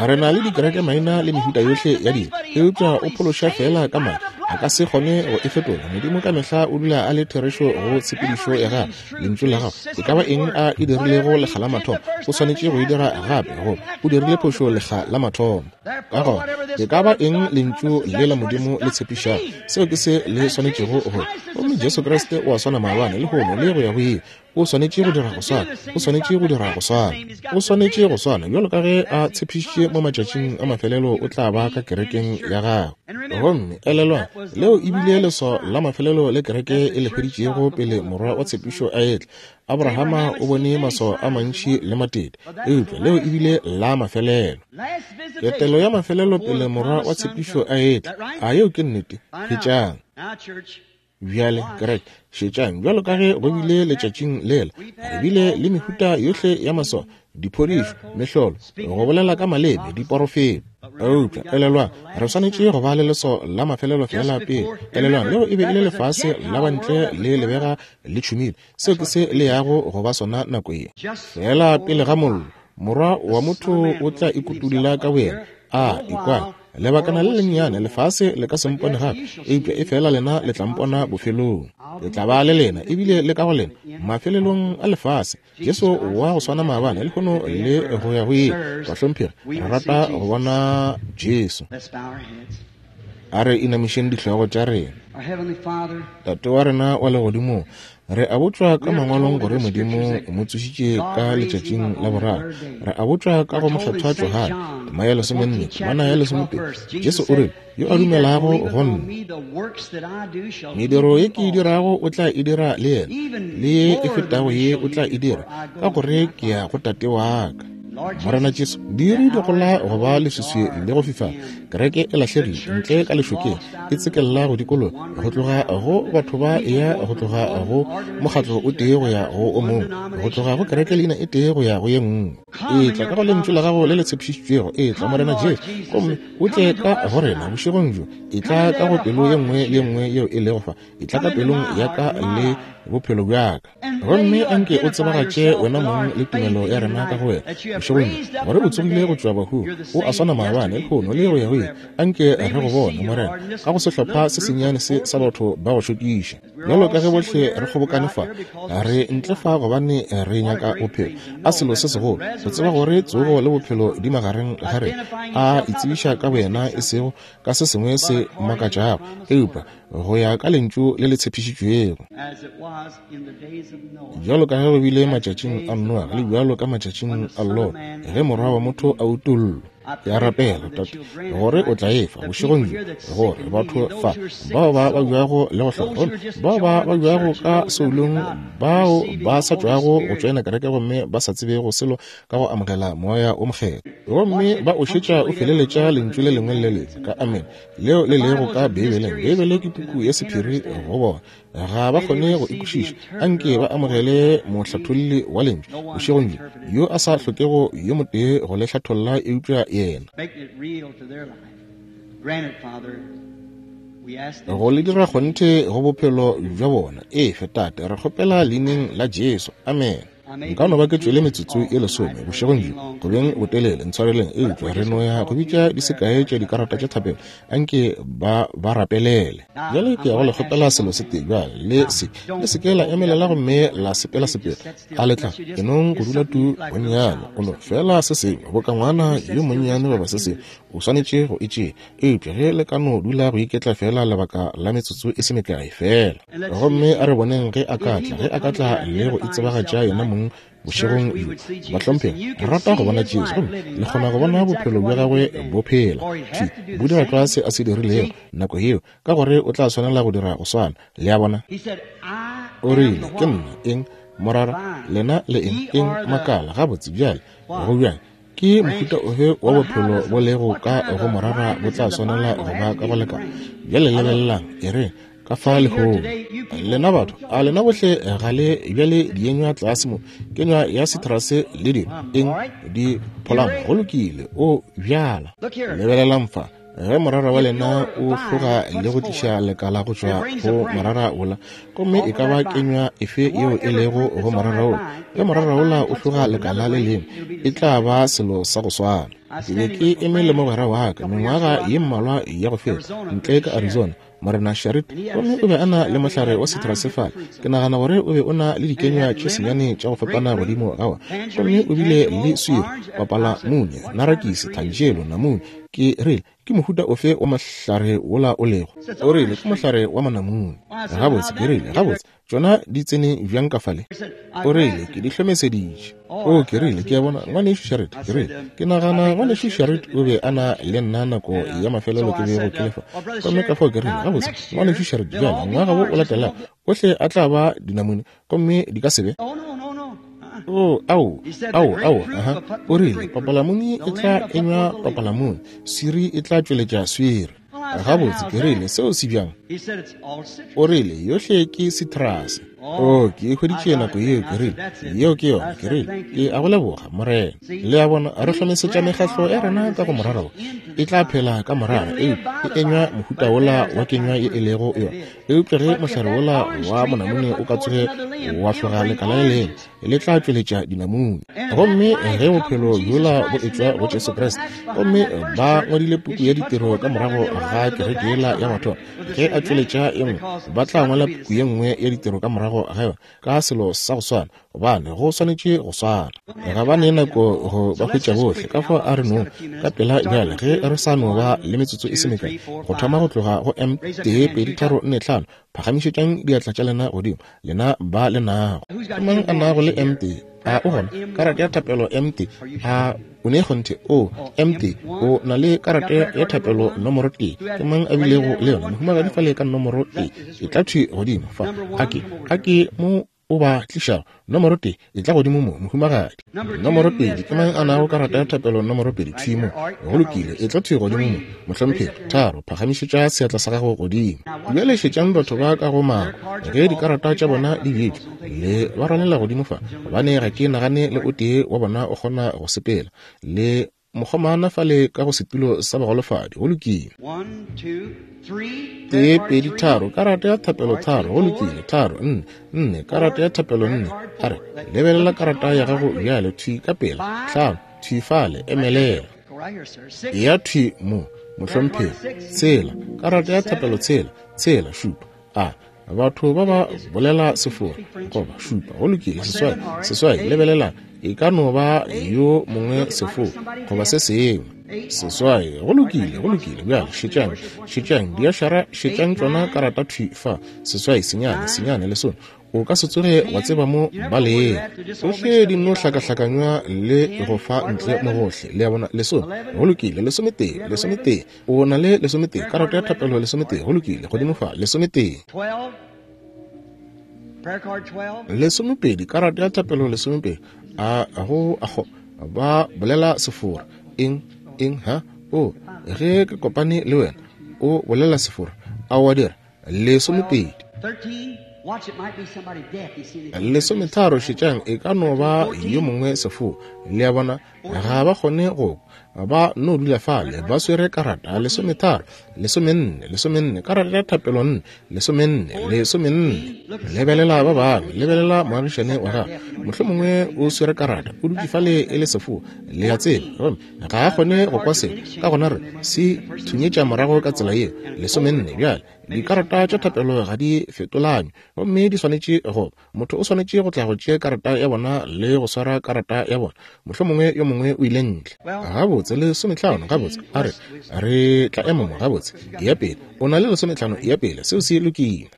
Re na le dikereke maina le mehuta yohle ya dilo, eupša o phološa fela ka madi, a ka se kgone go e fetola. Modimo ka mehla o dula a le therešo go tshepedišo ya gagwe, lentšu la gagwe. E ka ba eng a e dirilego lekga la mathomo, o swanetše go e dira gape, goba o dirile phošo lekga la mathomo. Ka gona e ka ba eng lentšu le la Modimo le tshepišago, seo ke se le swanetšego go. Gomme Jesu Kriste o a swana maabane, lehono le go ya go ile. O swanetše go dira go swana, o swanetše go dira go swana, o swanetše go swana bjalo ka ge a tshepišitše mo matšatšing a mafelelo o tla ba ka kerekeng ya gagwe. Gomme elelwang, leo e bile leswao la mafelelo le kereke e le hweditšego pele morwa wa tshepišo a etla. Abrahama o bone maswao a mantši le matete, eupša leo e bile la mafelelo, ketelo ya mafelelo pele morwa wa tshepišo a etla. A yeo ke nnete? Hwetšang bjale, kereke, šetšang, bjalo ka ge go bile letšatšing lela, re bile le mehuta yohle ya maswao, diphodišo, mehlolo, go bolela ka maleme, diporofeto. Eupša elelwang, re swanetše go ba le leswao la mafelelo fela pele. Elelwang, leo e be e le lefase la bantle le lebega le tšhumile. Seo ke se le yago go ba sona nako ye. Fela pele ga mollo, Morwa wa motho o tla ikutulla ka boyena. A ikwa lebakana le lennyane, lefase le ka se mpone gape, eupša e fela lena le tla mpona bofelong. Le tla ba le lena ebile le ka go lena mafelelong a lefase. Jesu wa go swana maabane, lehono le go ya go ile. Bahlomphegi, re rata go bona Jesu. A re inamišeng dihlogo tša rena. Tate wa rena wa legodimong, re a botšwa ka mangwalong gore Modimo o mo tsošitše ka letšatšing la boraro. Re a botšwa ka go mokgethwa Johane tema ya lesomenne temana ya lesomepedi, Jesu o rile, yo a dumelago go nna, mediro ye ke e dirago o tla e dira le yena, le ye e fetago ye o tla e dira, ka gore ke ya go Tate wa ka. Morena Jesu, diiri di gola go ba leswiswi le go fifala, kereke e lahlegile ntle ka lešokeng, e tsekella go dikologa, go tloga go batho ba ya go tloga go mokgatlo o tee go ya go o mongwe, go tloga go kereke leina e tee go ya go ye nngwe. Etla ka go lentšu la gago le le tshepišitšwego, etla Morena Jesu, gomme o tle ka go rena bošegong bjo. Etla ka go pelo ye nngwe le ye nngwe yeo e lego fa, etla ka pelong ya ka le bophelo bja ka. Gomme anke o tsebagatše wena mong le tumelo ya rena ka go wena bošegong bjo, gore o tsogile go tšwa bahung, o a swana maabane, lehono le go ya go ile. Anke re go bone, Morena, ka go sehlopha se sennyane se sa batho ba go šokiša. Bjalo ka ge bohle re kgobokane fa, re ntle fa gobane re nyaka bophelo. A selo se segolo go tseba gore tsogo le bophelo di magareng ga rena. A itsebiša ka boyena, e sego ka se sengwe se makatšago, eupša go ya ka lentšu le le tshepišitšwego. Bjalo ka ge go bile matšatšing a Noa, le bjalo ka matšatšing a Lot, ge Morwa wa motho a utollwa. Ke a rapela, Tate, gore o tla efa bošegong bjo, gore batho fa bao ba babjago le go hloka, gomme bao ba babjago ka soulong, bao ba sa tšwago go tšoena kereke gomme ba sa tsebego selo ka go amogela Moya o Mokgethwa, gomme ba o šetša o feleletša lentšu le lengwe le lengwe ka amen leo le lego ka Beibeleng. Beibele ke puku ya sephiri go bona, ga ba kgone go e kwešiša. Anke ba amogele mohlatholli wa lentšu bošegong bjo, yo a sa hlokego yo motee go le hlatholla eupša yena, go le dira kgonthe go bophelo bja bona. Efe, Tate, re kgopela leineng la Jesu. Amen. Nka no ba ke tšwele metsotso ye lesome bošegong bjo, go beng botelele, ntshwareleng, eupša re no ya go bitša di sekae tša dikarata tša thapelo. Anke ba ba rapelele. Bjale ke ya go le kgopela selo se tee bjale, le se le se ke la emelela gomme la sepela sepela. A le tla ke nong go dula tu bonnyane, o no fela se sengwe boka ngwana yo monnyane goba se sengwe, o swanetše go e tšea. Eupša ge le ka no dula go iketla fela lebaka la metsotso e se mekae fela, gomme a re boneng ge a ka tla, ge a ka tla le go itsebagatša yena mong bošegong bjo. Bahlomphegi, re rata go bona Jesu, gomme le kgona go bona bophelo bja gagwe bo phela thwi, bo dira tlwa se a se dirilego nako yeo, ka gore o tla swanela go dira go swana. Le a bona? O rile, ke nna eng morara, lena le eng eng makala. Gabotse bjale, go bjang? Ke mohuta ofe wa bophelo bo lego ka go morara bo tla swanela go ba ka go lekana? Bjale lebelelang, e re ka fa lehono lena batho, a lena bohle ga le bjale dienywa tlase mo, kenywa ya citrus le dilo eng di pholamo. Go lokile, o bjala. Lebelelang fa, ge morara wa lena o hloga le go tliša lekala go tšwa go morara wola, gomme e ka ba kenywa efe yeo e lego go morara wola, ge morara wola o hloga lekala le lengwe, e tla ba selo sa go swana. Ke be ke eme le mogwera wa ka mengwaga ye mmalwa ya go feta ntle ka Arizona, Morena Sharit, gomme o be a na le mohlare wa citrus fale. Ke nagana gore o be o na le dikenywa tše senyane tša go fapana godimo ga wona, gomme o bile le swiri, papalamune, narakisi, thanjelo, namune. Ke rile, ke mohuta ofe wa mohlare wola o lego? O rile, ke mohlare wa manamune. Gabotse, ke rile, gabotse, tšona di tsene bjang ka fale? O rile, ke di hlomeseditše. O, ke rile, ke a bona, ngwanešu Sharit, ke rile, ke nagana ngwanešu Sharit o be a na le nna nako ya mafelelo ke bego ke lefa. Gomme ka fao ke rile, gabotse, ngwanešu Sharit, bjale ngwaga wo o latelago ohle a tla ba dinamune, gomme di ka se be. O, ao, ao, ao, aha. O rile, papalamune e tla enywa papalamune, swiri e tla tšweletša swiri. Gabotse, ke rile, seo se bjang? O rile, yohle ke citrus. O, ke e hweditše nako yeo. Ke rile, yeo ke yona. Ke rile, ke a go leboga, Morena. Le a bona, re hlomesetša mekgahlo ya rena ka go morara wo, e tla phela ka morara, eupša e enywa mohuta wola wa kenywa ye e lego yona. Eupša ge mohlare wola wa monamune o ka tsoge wa hloga lekala le lengwe, le tla tšweletša dinamune. Gomme ge bophelo bjola bo etšwa go Jesu Kriste, gomme ba ngwadile puku ya ditiro ka morago ga kereke yela ya mathomo, ge a tšweletša e nngwe, ba tla ngwala puku ye nngwe ya ditiro ka morago ga yona, ka selo sa go swana, gobane go swanetše go swana. Ga ba ne nako go ba hwetša bohle. Ka fao a re nong ka pela bjale, ge re sa no ba le metsotso e se mekae, go thoma go tloga go M tee pedi tharo nne hlano. Phagamišetšang diatla tša lena godimo, lena ba le nago. Ke mang a nago le M tee? A o gona karata ya thapelo M tee? A o ne kgonthe? O M tee, o na le karata ya thapelo nomoro tee. Ke mang a bilego le yona? Mohumagadi fale ka nomoro tee, e tla thwi godimo fa. A ke, a ke mo o ba tlišago nomoro tee, e tla godimo mo, mohumagadi. Nomoro pedi, ke mang a nago karata ya thapelo nomoro pedi? Thwi mo. Go lokile, e tla thwi godimo mo, mohlomphegi. Tharo, phagamišetša seatla sa gago godimo. Bjale šetšang batho ba ka go mako ge dikarata tša bona di bjetšwe, le ba rwalela godimo fa, gobane ga ke nagane le o tee wa bona o kgona go sepela. Le mokgomana fale ka go setulo sa bagolofadi. Go lokile. Tee, pedi, tharo, karata ya thapelo tharo. Go lokile. Tharo, nne, nne, karata ya thapelo nne. A re, lebelela karata ya gago bjale, thwi ka pela. Hlano, thwi fale, emelela. Ya thwi mo, mohlomphegi. Tshela, karata ya thapelo tshela, tshela, šupa. A batho ba ba bolela sefora goba šupa. Go lokile, seswai, seswai, lebelelang, e ka no ba yo mongwe sefo goba se sengwe. Seswai. Go lokile, go lokile. Bjale, šetšang, šetšang, diašara, šetšang tšona karata thwi fa. Seswai, senyane, senyane, lesome. O ka se tsoge wa tseba mo ba leng. Tsohle di no hlakahlakanywa le go fa ntle mo gohle. Le a bona, lesome. Go lokile, lesometee, lesometee. O na le lesometee, karata ya thapelo lesometee. Go lokile, godimo fa, lesometee. Lesomepedi, karata ya thapelo lesomepedi. A go a go ba bolela sefora. Eng, eng, ha? O, ge ke kopane le wena, o bolela sefora. A wa dira, lesomepedi. Lesometharo, šetšang, e ka no ba yo mongwe sefo. Le a bona, ga ba kgone go kwa, ba no dula fale ba swere karata. Lesometharo, lesomenne, lesomenne, karata ya thapelo nne, lesomenne, lesomenne. Lebelela ba bangwe, lebelela moagišane wa gago, mohlomongwe o swere karata, o dutše fale e le sefo. Le a tseba, gomme ga a kgone go kwa selo, ka gona re se thunyetša morago ka tsela yeo. Lesomenne. Bjale dikarata tša thapelo ga di fetolanywe, gomme di swanetše go motho o swanetše go tla go tšea karata ya bona le go swara karata ya bona. Mohlomongwe yo mongwe o ile ntle. Gabotse, lesometlhano. Gabotse, a re re tla ema mo. Gabotse, ya pele. O na le lesometlhano, ya pele. Seo se lokile.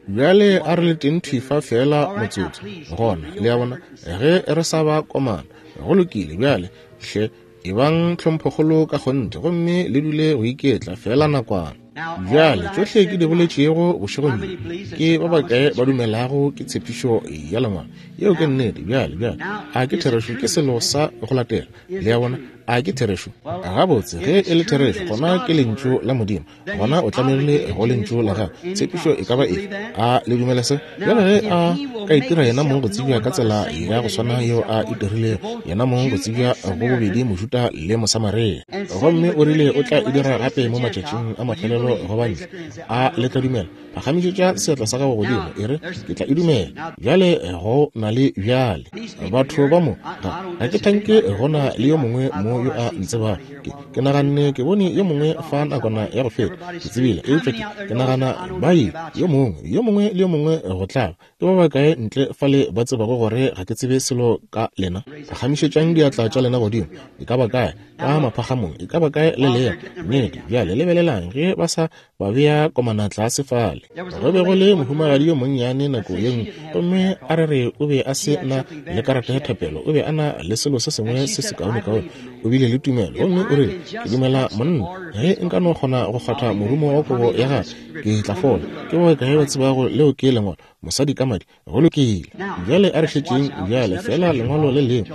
Bjale a re le teng thwi fa feela motsotso. Gona, le a bona, ge re sa ba komana. Go lokile. Bjale hle ebang tlhomphokgolo ka kgonthe, gomme le dule go iketla feela nakwana. Bjale tšohle ke di boletšego bošegong bjo, ke ba bakae ba dumelago ke tshepišo ya Lengwalo? Yeo ke nnete. Bjale, bjale, a ke therešo? Ke selo sa go latela. Le a bona, a ke therešo? Gabotse, ge e le therešo, gona ke lentšu la Modimo, gona o tlamegile go lentšu la gagwe. Tshepišo e ka ba efe? A le dumela se? Bjale ge a ka itira yena mong go tsebja ka tsela ya go swana yeo a itirilego yena mong go tsebja go bobedi Mojuda le Mosamaria, gomme o rile o tla e dira gape mo matšatšing a mafelelo go bantle, a le tla dumela? Phagamišetša seatla sa gago godimo, e re, ke tla e dumela. Bjale go na le bjale batho ba mo, ga ga ke thanke go na le yo mongwe mo yo a ntsebago. Ke, ke naganne ke bone yo mongwe fa nakwana ya go feta, ke tsebile, eupša ke, ke nagana ba ile yo mongwe, yo mongwe le yo mongwe go tlaba. Ke ba bakae ntle fale ba tsebago gore ga ke tsebe selo ka lena? Phagamišetšang diatla tša lena godimo. E ka ba kae? Ka maphagamong. E ka ba kae le lego? Nnete. Bjale lebelelang ge ba sa ba bea komana tlase fale. Go be go le mohumagadi yo monnyane nako ye nngwe, gomme a re re o be a se na le karata ya thapelo, o be a na le selo se sengwe se sekaonekaone. O bile le tumelo, gomme o rile, ke dumela monna, ge nka no kgona go kgwatha morumo wa kobo ya gagwe, ke tla fola. Ke ba bakae ba tsebago leo ke lengwalo? Mosadi ka madi. Go lokile. Bjale a re šetšeng bjale feela lengwalo le lengwe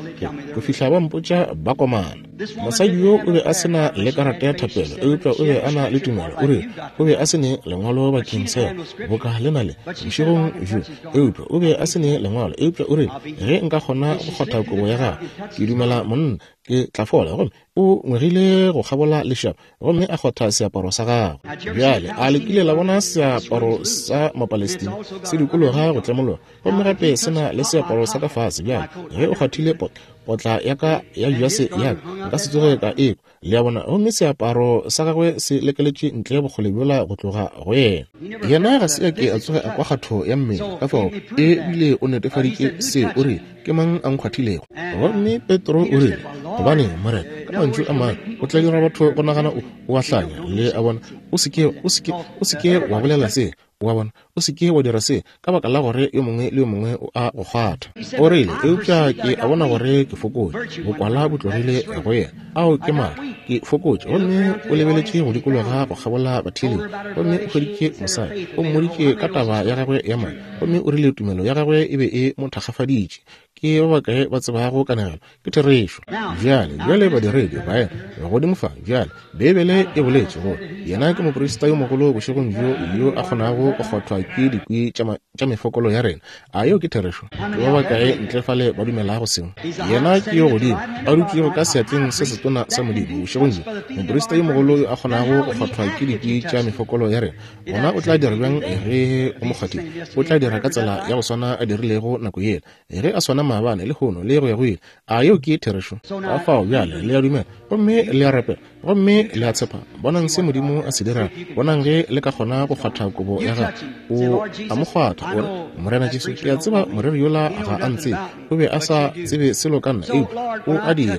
go fihla ba mpotša ba komana. Mosadi yo o be a se na le karata ya thapelo, eupša o be a na le tumelo. O rile o be a se ne lengwalo bakeng sa yona, boka le na le bošegong bjo, eupša o be a se ne lengwalo, eupša o rile, ge nka kgona go kgwatha kobo ya gagwe, ke dumela monna, ke tla fola. Gomme o ngwegile go kgabola lešaba, gomme a kgwatha seaparo sa gagwe. Bjale a le kile la bona seaparo sa Mapalestina se dikologa go tlemologa, gomme gape se na le seaparo sa ka fase. Bjale ge o kgwathile potla, potla ya ka ya jase ya ka, nka se tsoge ka ekwa. Le a bona? Gomme seaparo sa gagwe se lekeletše ntle bokgole bjola go tloga go yena. Yena ga se a ke a tsoge a kwa kgatho ya mmele, ka fao e bile o netefaditše se. O rile, ke mang a nkgwathilego? Gomme Petro o rile, gobane Morena, ka mantšu a mangwe, o tla dira batho go nagana o, o a hlanya. Le a bona? O se ke, o se ke, o se ke wa bolela se. Wa bona? O se ke wa dira se, ka baka la gore yo mongwe le yo mongwe o a go kgwatha. O rile, eupša ke a bona gore ke fokotše, bokwala bo tlogile go yena. Ao ke maatla, ke fokotše. Gomme o lebeletše go dikologa go kgabola batheeletši, gomme o hweditše mosadi, o mmoditše ka taba ya gagwe ya madi, gomme o rile tumelo ya gagwe e be e mo thakgafaditše. Ke ba bakae ba tsebago kanegelo? Ke therešo. Bjale, bjale badiredi baena godimo fa. Bjale Beibele e boletše gore yena ke moprista yo mogolo bošegong bjo yo a kgonago go kgwathwa ke dikwi tša mefokolo ya rena. A yeo ke therešo? Ke ba bakae ntle fale ba dumelago seo? Yena ke yo godimo a dutšego ka seatleng se setona sa Modimo bošegong bjo, moprista yo mogolo yo a kgonago go kgwathwa ke dikwi tša mefokolo ya rena. Gona o tla dira bjang ge o mo kgwathile? O tla dira ka tsela ya go swana a dirilego nako yela, ge a swana maabane, lehono le go ya go ile. A yeo ke therešo? Ka fao bjale le a dumela, gomme le a rapela, gomme le a tshepa. Bonang se Modimo a se dirago. Bonang ge le ka kgona go kgwatha kobo ya gagwe. O a mo kgwatha, o re, Morena Jesu, ke a tseba moreri yola ga a ntsebe, o be a sa tsebe selo ka nna, eupša o a dira.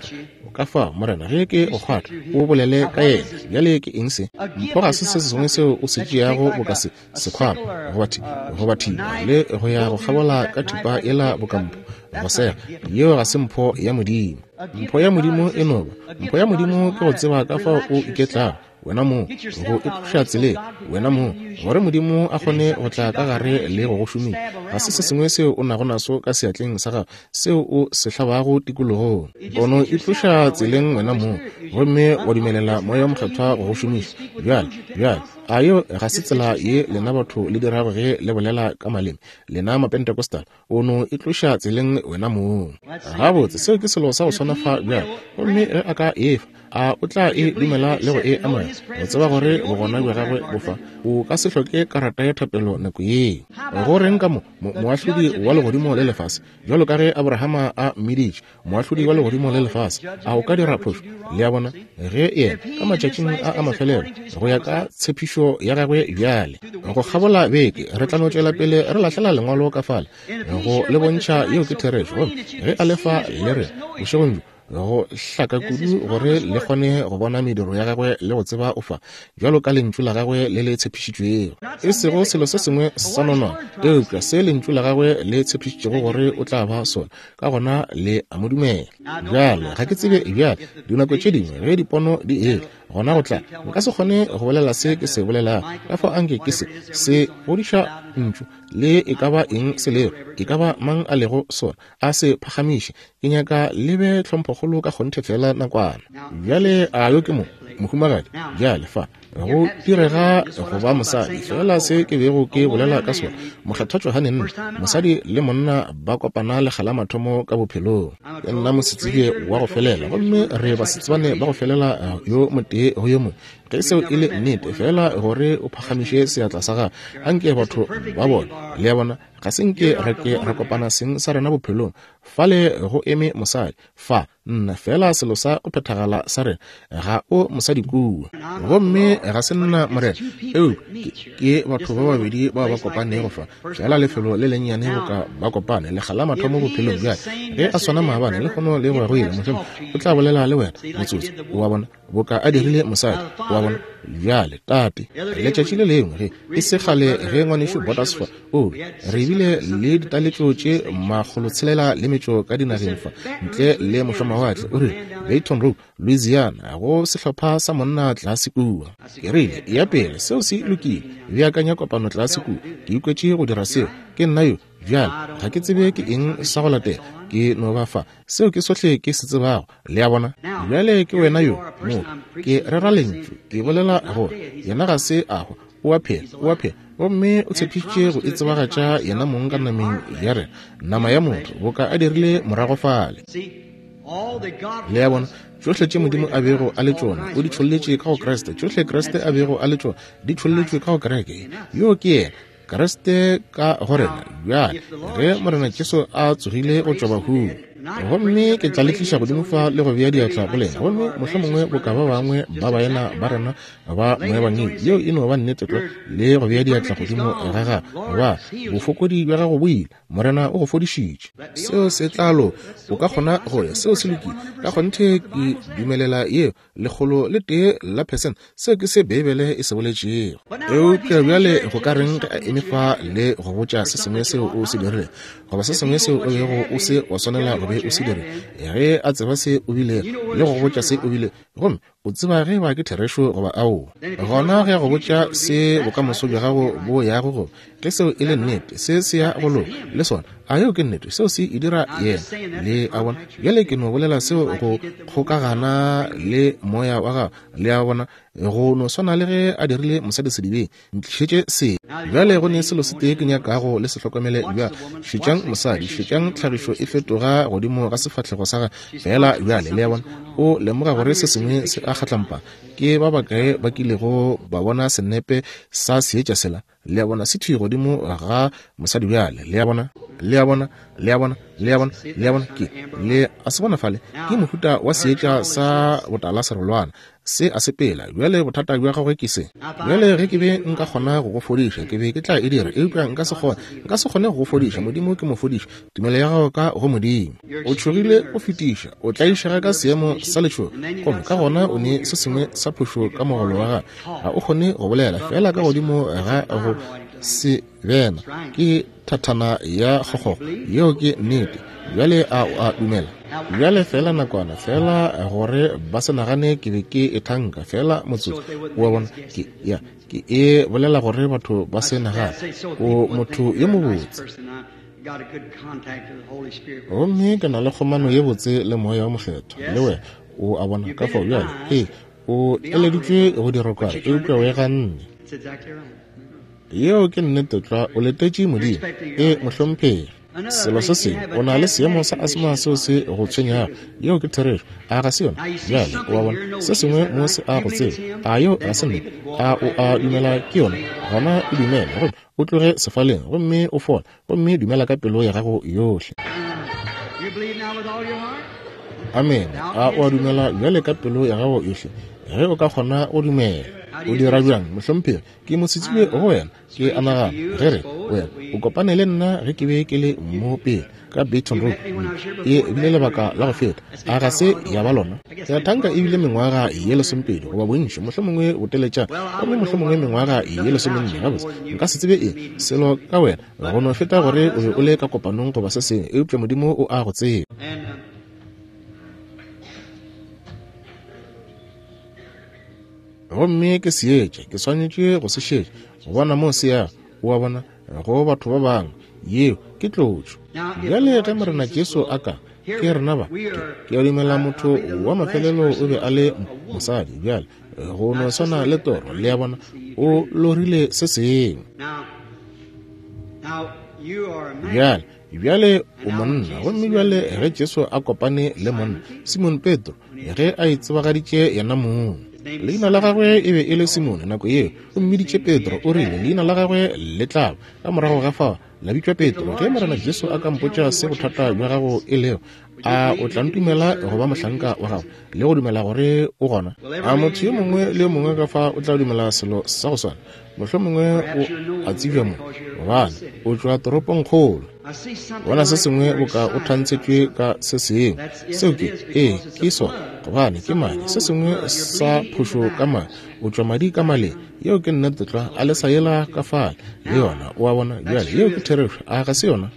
Ka fao, Morena, ge ke go kgwatha, o bolele ka yena. Bjale ke eng se? Mpho ga se se sengwe seo o se tšeago boka se sekhwama goba goba thipa le go ya go kgabola ka thipa yela boka mpho go sega. Yeo ga se mpho ya Modimo. Mpho ya Modimo e no ba mpho ya Modimo ke go tseba ka fao o iketlago wena mong, go itloša tseleng wena mong, gore Modimo a kgone go tla ka gare le go go šomiša. Ga se se sengwe seo o nago naso ka seatleng sa gago seo o se hlabago tikologong. O no itloša tseleng wena mong gomme wa dumelela Moya wo Mokgethwa go go šomiša. Bjale, bjale, a yeo ga se tsela ye lena batho le dirago ge le bolela ka maleme, lena Mapentecostal? O no itloša tseleng wena mong. Gabotse, seo ke selo sa go swana fa bjale. Gomme ge a ka efa, a o tla e dumela le go e amogela, go tseba gore bogona bja gagwe bo fa? O ka se hloke karata ya thapelo nako yeo. Go reng ka mo moahlodi wa legodimo le lefase, bjalo ka ge Abrahama a mmiditše moahlodi wa legodimo le lefase, a o ka dira phošo? Le a bona, ge yena ka matšatšing a a mafelelo go ya ka tshepišo ya gagwe bjale go kgabola beke re tla no tšwela pele re lahlela lengwalo ka fale go le bontšha yeo ke therešo. Gomme ge a lefa le re bošegong bjo go hlaka kudu gore le kgone go bona mediro ya gagwe le go tseba o fa bjalo ka lentšu la gagwe le le tshepišitšwego, e sego selo se sengwe sa nonwane, eupša se lentšu la gagwe le tshepišitšego gore o tla ba sona. Ka gona le a mo dumela. Bjale ga ke tsebe bjale, dinako tše dingwe ge dipono di etla, gona go tla nka se kgone go bolela se ke se bolelago. Ka fao anke ke se se godiša ntšu le e ka ba eng se lego, e ka ba mang a lego sona, a se phagamiše. Ke nyaka le be tlhomphokgolo ka kgonthe fela nakwana. Bjale a yo ke mo mohumagadi bjale fa go direga go ba mosadi, fela se ke bego ke bolela ka sona. Mokgethwa Johane nna, mosadi le monna ba kopana lekga la mathomo ka bophelong. Ke nna mosetsebje wa go felela, gomme re basetsebane ba go felela yo motee go yo mongwe. Ge seo e le nnete, fela gore o phagamiše seatla sa gago, anke batho ba bone. Le a bona, ga se nke re ke re kopana seng sa rena bophelong. Fale go eme mosadi fa, nna fela selo sa go phethagala sa rena, ga o mosadi kua, gomme ga se nna Morena, eupša ke batho ba babedi bao ba kopanego fa, fela lefelo le lennyane boka ba kopane lekga la mathomo bophelong. Bjale ge a swana maabane le kgono le go ya go ile, mohlomongwe o tla bolela le wena motsotso, wa bona, boka a dirile mosadi, wa bona. Bjale tate, letšatši le lengwe ge e se kgale ge ngwanešu Borders fa, o re bile le ditaletšo tše makgolotshelela le metšo ka dinageng fa ntle le mošomawatle, o rile Baton Rouge, Louisiana, go sehlopha sa monna tlase kua. Ke rile, ya pele, seo se lokile, beakanya kopano tlase kua. Ke ikwetše go dira seo, ke nna yo. Bjale ga ke tsebe ke eng sa go latela, ke no ba fa. Seo ke sohle ke se tsebago. Le a bona? Bjale ke wena yo motho, ke rera lentšu, ke bolela gore yena ga se a hwa, o a phela, o a phela, gomme o tshepišitše go itsebagatša yena mong ka nameng ya rena, nama ya motho, boka a dirile morago fale. Le a bona? Tšohle tše Modimo a bego a le tšona o di tšholletše ka go Kriste. Tšohle Kriste a bego a le tšona di tšholletšwe ka go kereke. Yo ke yena Kriste ka go rena. Bjale ge Morena Jesu a tsogile go tšwa bahung, gomme ke tla le tliša godimo fa le go bea diatla go lena, gomme mohlomongwe boka ba bangwe ba baena ba rena ba moebangedi, yeo e no ba nnete tlwa, le go bea diatla godimo ga gago, ba bofokodi bja gago bo ile, Morena o go fodišitše. Seo se tla loka, o ka kgona go ya, seo se lokile. Ka kgonthe ke dumelela yeo lekgolo le tee la percent, seo ke se Beibele e se boletšego. Eupša bjale go ka reng ge a eme fa le go botša se sengwe seo o se dirilego, goba se sengwe seo o bego o se wa swanela go be o se dirile, ge a tseba se o bile le go botša se o bile, gomme o tseba ge ba ke therešo goba aowa, gona ge a go botša se bokamoso bja gago bo yago go, ge seo e le nnete, se se ya go loka le sona, a yeo ke nnete, seo se e dira yena. Le a bona? Bjale ke no bolela seo go kgokagana le moya wa gago. Le a bona? Go no swana le ge a dirile mosadi sedibeng, ntlišetše se. Bjale go ne selo se tee ke nyakago le se hlokomele bjale. Šetšang mosadi, šetšang tlhagišo e fetoga godimo ga sefahlego sa gagwe fela bjale. Le a bona? O lemoga gore se sengwe se a kgatlampa. Ke ba bakae ba kilego ba bona senepe sa seetša sela? Le a bona, se thwi godimo ga mosadi bjale. Le a bona? Le a bona? Le a bona? Le a bona? Le a bona? Ke le a se bona fale, ke mohuta wa seetša sa botala serolwana. Se a sepela. Bjale bothata bja gagwe ke se. Bjale ge ke be nka kgona go go fodiša, ke be ke tla e dira, eupša nka se kgone. Nka se kgone go go fodiša. Modimo ke mofodiši. Tumelo ya gago ka go Modimo. O tšhogile go fetiša, o tlaišega ka seemo sa letšhogo, gomme ka gona o ne se sengwe sa phošo ka mogolo wa gago. Ga o kgone go bolela, fela ka godimo ga go se bena ke thathana ya kgokgogo. Yeo ke nnete. Bjale a o a dumela? Bjale fela nakwana, fela gore ba se nagane ke be ke e thanka, fela motsotso. O a bona, ke ya ke e bolela gore batho ba se nagane o motho yo mobotse. Gomme ke na le kgomano ye botse le Moya wo Mokgethwa le wena. O a bona, ka fao bjale ee o eleditšwe go dira kware, eupša o e ganne. Yeo ke nnete tlwa. O letetše Modimo. E mohlomphegi. Selo se sengwe, o na le seemo sa asma seo se go tshwenyago. Yeo ke therešo. A ga se yona? Bjale o a bona, se sengwe mo se a go tseba. A yeo ga se nnete? A o a dumela ke yona? Gona e dumele, gomme o tloge sefaleng, gomme o fole, gomme dumela ka pelo ya gago yohle. Amene. A o a dumela bjale ka pelo ya gago yohle? Ge o ka kgona go dumela. O dira bjang, mohlomphegi? Ke mosetsebje go wena. Ke a nagana ge re wena o kopane le nna ge ke be ke le mo pele ka Baton Rouge. E bile lebaka la go feta. A ga se ya ba lona? Ya thanka e bile mengwaga ye lesomepedi goba bontši, mohlomongwe boteletšana, gomme mohlomongwe mengwaga ye lesomenne. Gabotse, nka se tsebe eng selo ka wena go no feta gore o be o le ka kopanong goba se sengwe, eupša Modimo o a go tseba. Gomme ke seetša, ke swanetše go se šetša, go bona mo se yago. O a bona, go batho ba bangwe, yeo ke tlotšo. Bjale ge Morena Jesu a ka, ke rena ba, ke a dumela motho wa mafelelo o be a le mosadi. Bjale go no swana le toro, le a bona, o lorile se sengwe. Bjale bjale o monna, gomme bjale ge Jesu a kopane le monna Simon Petro, ge a itsebagaditše yena mong, leina la gagwe e be e le Simone nako yeo, o mmiditše Petro. O rile leina la gagwe le tla ba ka morago ga fao la bitšwa Petro. Ge Morena Jesu a ka mpotša se bothata bja gago e lego, a o tla ntumela go ba mohlanka wa gago le go dumela gore o gona? A motho yo mongwe le yo mongwe ka fa o tla dumela selo sa go swana? Mohlomongwe o a tsebja mo, gobane o tšwa toropongkgolo. Bona se sengwe boka o thantshetšwe ka se sengwe. Seo ke, ee, ke sona, gobane ke madi. Se sengwe sa phošo ka madi, o tšwa madi ka maleng. Yeo ke nnete tlwa. A le sa yela ka fale le yona? O a bona? Bjale yeo ke therešo. A ga se yona?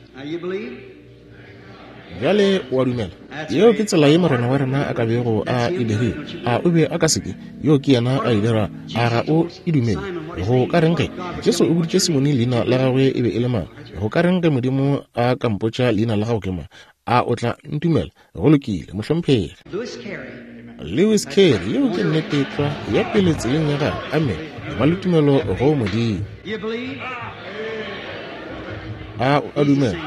Bjale o a dumela? Yeo ke tsela ye Morena wa rena a ka bego a e dirile. A o be a ka seke? Yeo ke yena a e dira. A ga o e dumele? Go ka reng ge Jesu o boditše Simone leina la gagwe e be e le mang? Go ka reng ge Modimo a ka mpotša leina la gago ke mang? A o tla ntumela? Go lokile, mohlomphegi. Lewis Carey, yeo ke nnete tlwa, ya pele tseleng ya gagwe. Amen. Ba le tumelo go Modimo. A o a dumela?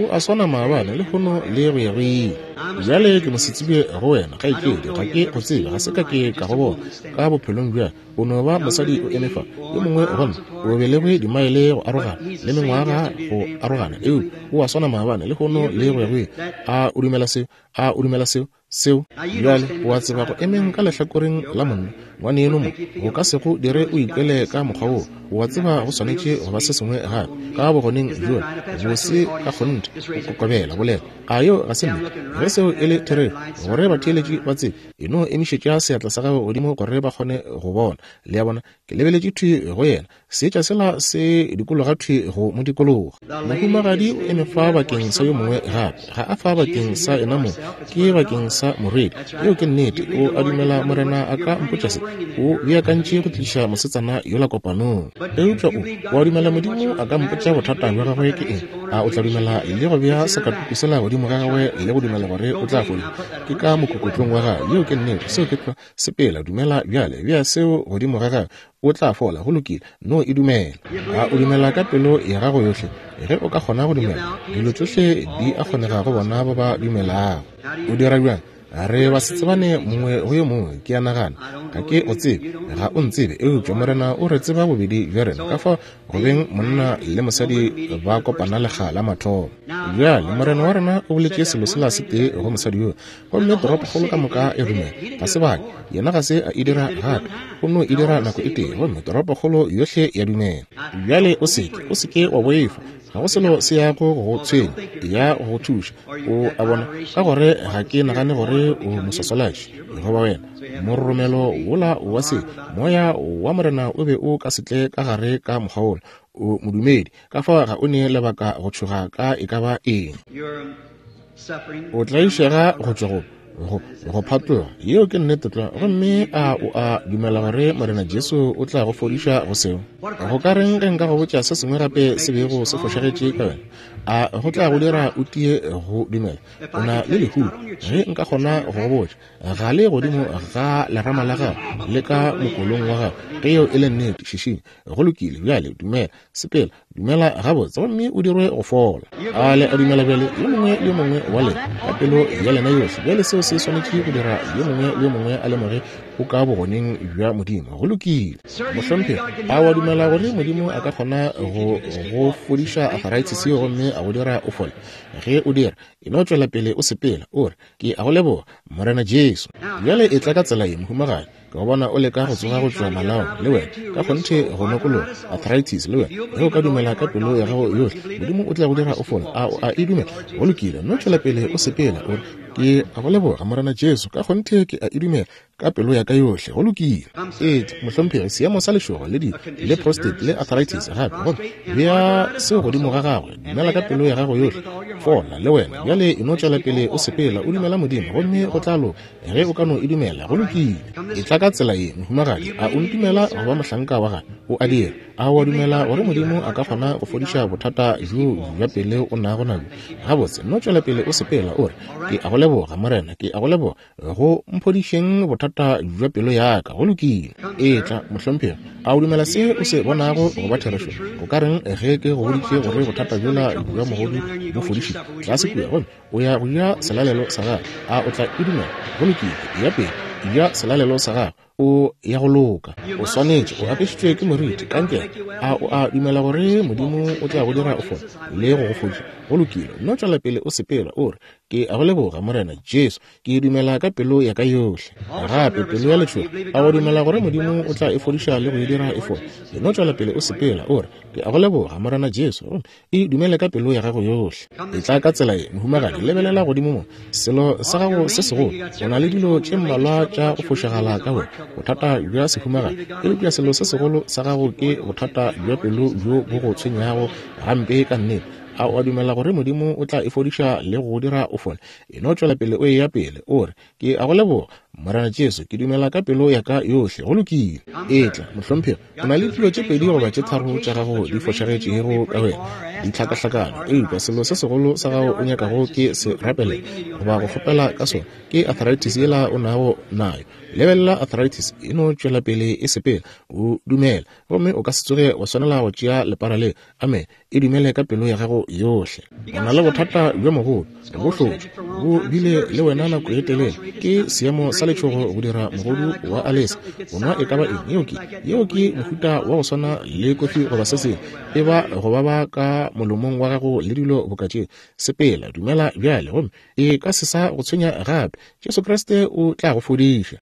O a swana maabane, lehono le go ya go ile. Bjale ke mosetsebje go wena, kgaetšedi. Ga ke go tsebe, ga se ka ke ka go bona ka bophelong bja. O no ba mosadi o eme fa. Yo mongwe go nna o belegwe dimaele go arogana le mengwaga go arogana, eupša o a swana maabane, lehono le go ya go ile. A o dumela seo? A o dumela seo? Seo bjale o a tseba go emeng ka lehlakoreng la monna ngwaneno mo go ka se go dire o ikwele ka mokgwa woo. O a tseba go swanetše go ba se sengwe gape ka bogoneng bjola bo se ka kgonthe go kokobela bolela. A yeo ga se nnete? Ge seo e le therešo, gore batheeletši ba tsebe, e no emišetša seatla sa gago godimo gore ba kgone go bona. Le a bona, ke lebeletše thwi go yena, seetša sela se dikologa thwi go mo dikologa. Mohumagadi o eme fa bakeng sa yo mongwe gape, ga a fa bakeng sa yena mong, ke bakeng sa morwedi. Yeo ke nnete. O a dumela Morena a ka mpotša se? O beakantše go tliša mosetsana yola kopanong. Eupša o, o a dumela Modimo a ka mpotša bothata bja gagwe ke eng? A o tla dumela le go bea sakatuku sela godimo ga gagwe le go dumela gore o tla fodišwa? Ke ka mokokotlong wa gagwe. Yeo ke nnete. Seo ke tlwa. Sepela, dumela bjale, bea seo godimo ga gagwe, o tla fola. Go lokile, no e dumela. A o dumela ka pelo ya gago yohle? Ge o ka kgona go dumela, dilo tšohle di a kgonega go bona ba ba dumelago. O dira bjang? Re ba se tsebane mongwe go yo mongwe, ke a nagana. Ga ke o tsebe, ga o ntsebe, eupša Morena o re tseba bobedi bja rena. Ka fao go beng monna le mosadi ba kopana lekga la mathomo. Bjale Morena wa rena o boletše selo sela se tee go mosadi yo, gomme toropokgolo ka moka e dumela. Ga se bake, yena ga se a e dira gape, o no e dira nako e tee, gomme toropokgolo yohle ya dumela. Bjale o seke, o seke wa boifa. Ga go selo se yago go go tshwenya, ya go go thuša. O a bona, ka gore ga ke nagane gore o moswaswalatši goba wena. Mororomelo wola wa se moya wa Morena o be o ka se tle ka gare ka mokgwa wola. O modumedi, ka fao ga o ne lebaka go tšhoga ka e ka ba eng. O tlaišega go tšwa go go go phatloga, yeo ke nnete tlwa. Gomme a o a dumela gore Morena Jesu o tla go fodiša go seo? Go ka reng ge nka go botša se sengwe gape se bego se fošagetše ka wena? A go tla go dira o tie go dumela? O na le lehulo. Ge nka kgona go go botša, ga le godimo ga lerama la gago le ka mokolong wa gago, ge yeo e le nnete, šišinya. Go lokile, bjale dumela, sepela, dumela gabotse, gomme o dirwe go fola. A le a dumela bjale, yo mongwe le yo mongwe wa lena, ka pelo ya lena yohle? Bjale seo se swanetše go dira yo mongwe le yo mongwe a lemoge o ka bogoneng bja Modimo. Go lokile. Mohlomphegi, a wa dumela gore Modimo a ka kgona go go fodiša arthritis yeo gomme a go dira o fole? Ge o dira, e no tšwela pele o sepela, o re, ke a go leboga, Morena Jesu. Bjale e tla ka tsela ye, mohumagadi. Ke go bona o leka go tsoga go tšwa malaong, le wena, ka kgonthe go nokologa arthritis, le wena. Ge o ka dumela ka pelo ya gago yohle, Modimo o tla go dira o fole. A o a e dumela? Go lokile, no tšwela pele o sepela, o re, ke a go leboga, Morena Jesu, ka kgonthe ke a e dumela ka pelo ya ka yohle. Go lokile. Etla, mohlomphegi, seemo sa lešogo le di le prostate le arthritis gape, gomme bea seo godimo ga gagwe. Dumela ka pelo ya gago yohle, fola le wena. Bjale e no tšwela pele o sepela, o dumela Modimo, gomme go tla loka ge o ka no e dumela. Go lokile. E tla ka tsela ye, mohumagadi. A o ntumela go ba mohlanka wa gagwe? O a dira. A o a dumela gore Modimo a ka kgona go fodiša bothata bjo bja pele o nago nabjo? Gabotse, no tšwela pele o sepela, o re, ke a go leboga, Morena, ke a go leboga go mphodišeng bothata bja pelo ya ka. Go lokile. Etla, mohlomphegi. A o dumela se o se bonago go ba therešo? O ka reng ge ke go boditše gore bothata bjola bja mogodu bo fodišitšwe tlase kua, gomme o ya go ja selalelo sa gago? A o tla e dumela? Go lokile. Ya pele, ja selalelo sa gago, o ya go loka. O swanetše, o apešitšwe ke moriti, kankere. A o a dumela gore Modimo o tla go dira o fole le go go fodiša? Go lokile. Nno tšwela pele o sepela, o re, ke a go leboga, Morena Jesu, ke dumela ka pelo ya ka yohle. Gape pelo ya letšhogo, a o dumela gore Modimo o tla e fodiša le go e dira e fole? Nno tšwela pele o sepela, o re, ke a go leboga, Morena Jesu, e dumele ka pelo ya gago yohle. E tla ka tsela ye, mohumagadi, lebelela godimo mo. Selo sa gago se segolo, o na le dilo tše mmalwa tša go fošagala ka wena, bothata bja sehumagadi, eupša selo se segolo sa gago ke bothata bja pelo bjo bo go tshwenyago gampe ka nnete. A o a dumela gore Modimo o tla e fodiša le go dira o fole? E no tšwela pele o eya pele, o re, ke a go leboga, Morena Jesu, ke dumela ka pelo ya ka yohle. Go lokile. Etla, mohlomphegi, o na le dilo tše pedi goba tše tharo tša gago di fošagetšego ka wena, di hlakahlakane, eupša selo se segolo sa gago o nyakago ke se rapelela goba go kgopela ka sona ke arthritis yela o nago nayo. Lebelela arthritis e no tšwela pele e sepela, o dumela, gomme o ka se tsoge wa swanela go tšea lepara le. Amen. E dumele ka pelo ya gago yohle. O na le bothata bjo mogolo, bo hlotšwe, bo bile le wena nako e telele. Ke seemo sa letšhogo go dira mogodu wa alesa. O nwa e ka ba eng? Yeo ke, yeo ke mohuta wa go swana le kofi goba se sengwe, e ba go baba ka molomong wa gago le dilo boka tšeo. Sepela, dumela bjale, gomme e ka se sa go tshwenya gape. Jesu Kriste o tla go fodiša.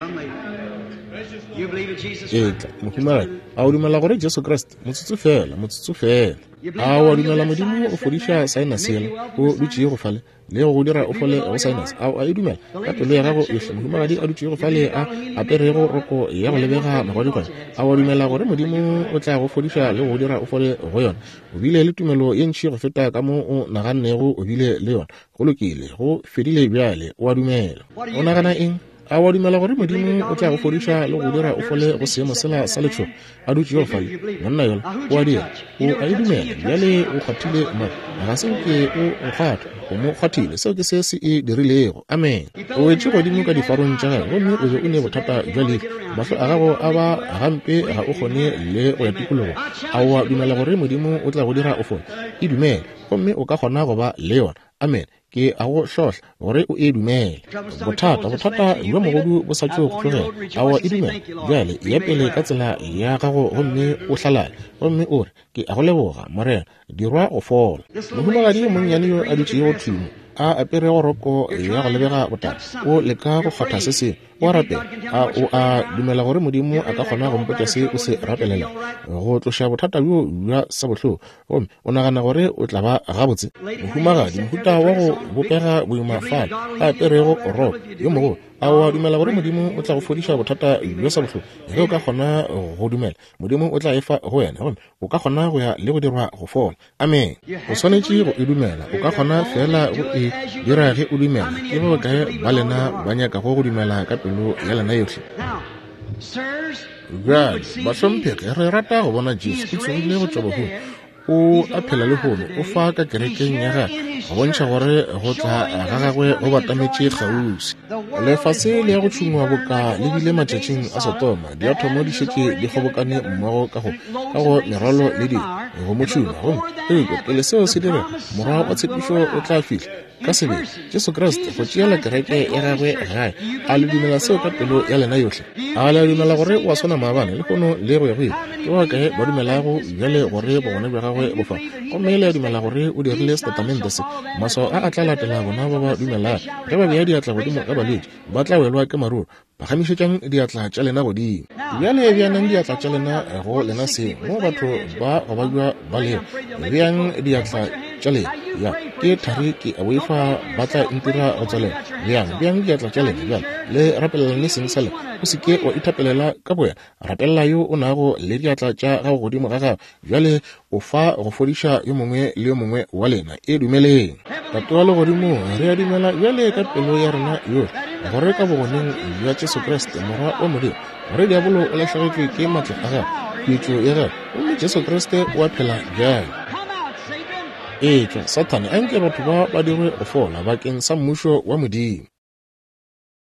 Etla, mohumagadi, a o dumela gore Jesu Kriste? Motsotso fela, motsotso fela. A o a dumela Modimo o fodiša sinus yela o dutšego fale le go dira o fole go sinus? A o a e dumela ka pelo ya gago yohle? Mohumagadi a dutšego fale a aperego roko ya go lebega magwadikwane, a o a dumela gore Modimo o tla go fodiša le go dira o fole go yona? O bile le tumelo ye ntši go feta ka mo o nagannego o bile le yona. Go lokile, go fedile bjale, o a dumela. O nagana eng? A wa dumela gore Modimo o tla go fodiša le go dira o fole go seemo sela sa letšhogo a dutšego fale? Monna yola o a dira, o a e dumela. Bjale o kgwathile mo, ga se nke o nkgwatha, o mo kgwathile. Seo ke se se e dirilego. Amen. O wetše godimo ka difarong tša gagwe, gomme o be o ne bothata bja leihlo. Mahlo a gago a ba gampe, ga o kgone le go ya tikologong. A wa dumela gore Modimo o tla go dira o fole? E dumele, gomme o ka kgona go ba le yona. Amen. Ke a go hlohla gore o e dumele. Bothata, bothata bjo mogodu bo sa tšo go tlogela. A wa e dumela? Bjale ya pele ka tsela ya gago gomme o hlalale, gomme o re, ke a go leboga, Morena, dirwa go fola. Mohumagadi yo monnyane yo a dutšego thwi mo, a aperego roko ya go lebega botala, o leka go kgwatha se sengwe, o a rapela. A o a dumela gore Modimo a ka kgona go mpotša se o se rapelela, go tloša bothata bjo bja sabohloko, gomme o nagana gore o tla ba gabotse? Mohumagadi, mohuta wa go bopega boima fale, a aperego roko yo mogolo, a o a dumela gore Modimo o tla go fodiša bothata bjo sabohloko? Ge o ka kgona go dumela, Modimo o tla e fa go wena, gomme o ka kgona go ya le go dirwa go fola. Amen. O swanetše go e dumela. O ka kgona fela go e dira ge o dumela. Ke ba bakae ba lena ba nyakago go dumela ka pelo ya lena yohle? Bjale, bahlomphegi, re rata go bona Jesu o tsogile go tšwa bahung. O a phela lehono, o fa ka kerekeng ya gagwe, go bontšha gore go tla ga gagwe go batametše kgauswi. Lefase le ya go tšhungwa boka le bile matšatšing a Sodoma, diathomo di šetše di kgobokane mmogo ka go ka go merwalo le dilo go mo tšhuma. Gomme eupša pele seo se direga, morwa wa tshepišo o tla fihla ka sebele, Jesu Kriste, go tšeela kereke ya gagwe gae. A le dumela seo ka pelo ya lena yohle? A le a dumela gore o a swana maabane, lehono le go ya go ile? Ke ba bakae ba dumelago bjale gore bogona bja gagwe bo fa? Gomme le a dumela gore o dirile setatamente se, maswao a a tla latela bona ba ba dumelago. Ge ba bea diatla godimo ga balwetši, ba tla welwa ke maruru. Phagamišetšang diatla tša lena godimo. Bjale beanang diatla tša lena go lena seng, mo batho ba go babja ba lego. Beang diatla tša lena. Ya, ke thari, ke a boifa ba tla ntira go tswalela. Beang, beang diatla tša lena bjale, le rapelelane seng sa lena. O se ke wa ithapelela ka bowena, rapelela yo o nago le diatla tša gago godimo ga gago. Bjale o fa go fodiša yo mongwe le yo mongwe wa lena. E dumeleng. Tate wa legodimong, re a dumela bjale ka pelo ya rena yohle gore ka bogoneng bja Jesu Kriste, Morwa wa Modimo, gore diabolo o lahlegetšwe ke maatla a gagwe, khuetšo ya gagwe, gomme Jesu Kriste o a phela bjale. Etšwa, Sathane, anke batho ba ba dirwe go fola bakeng sa mmušo wa Modimo.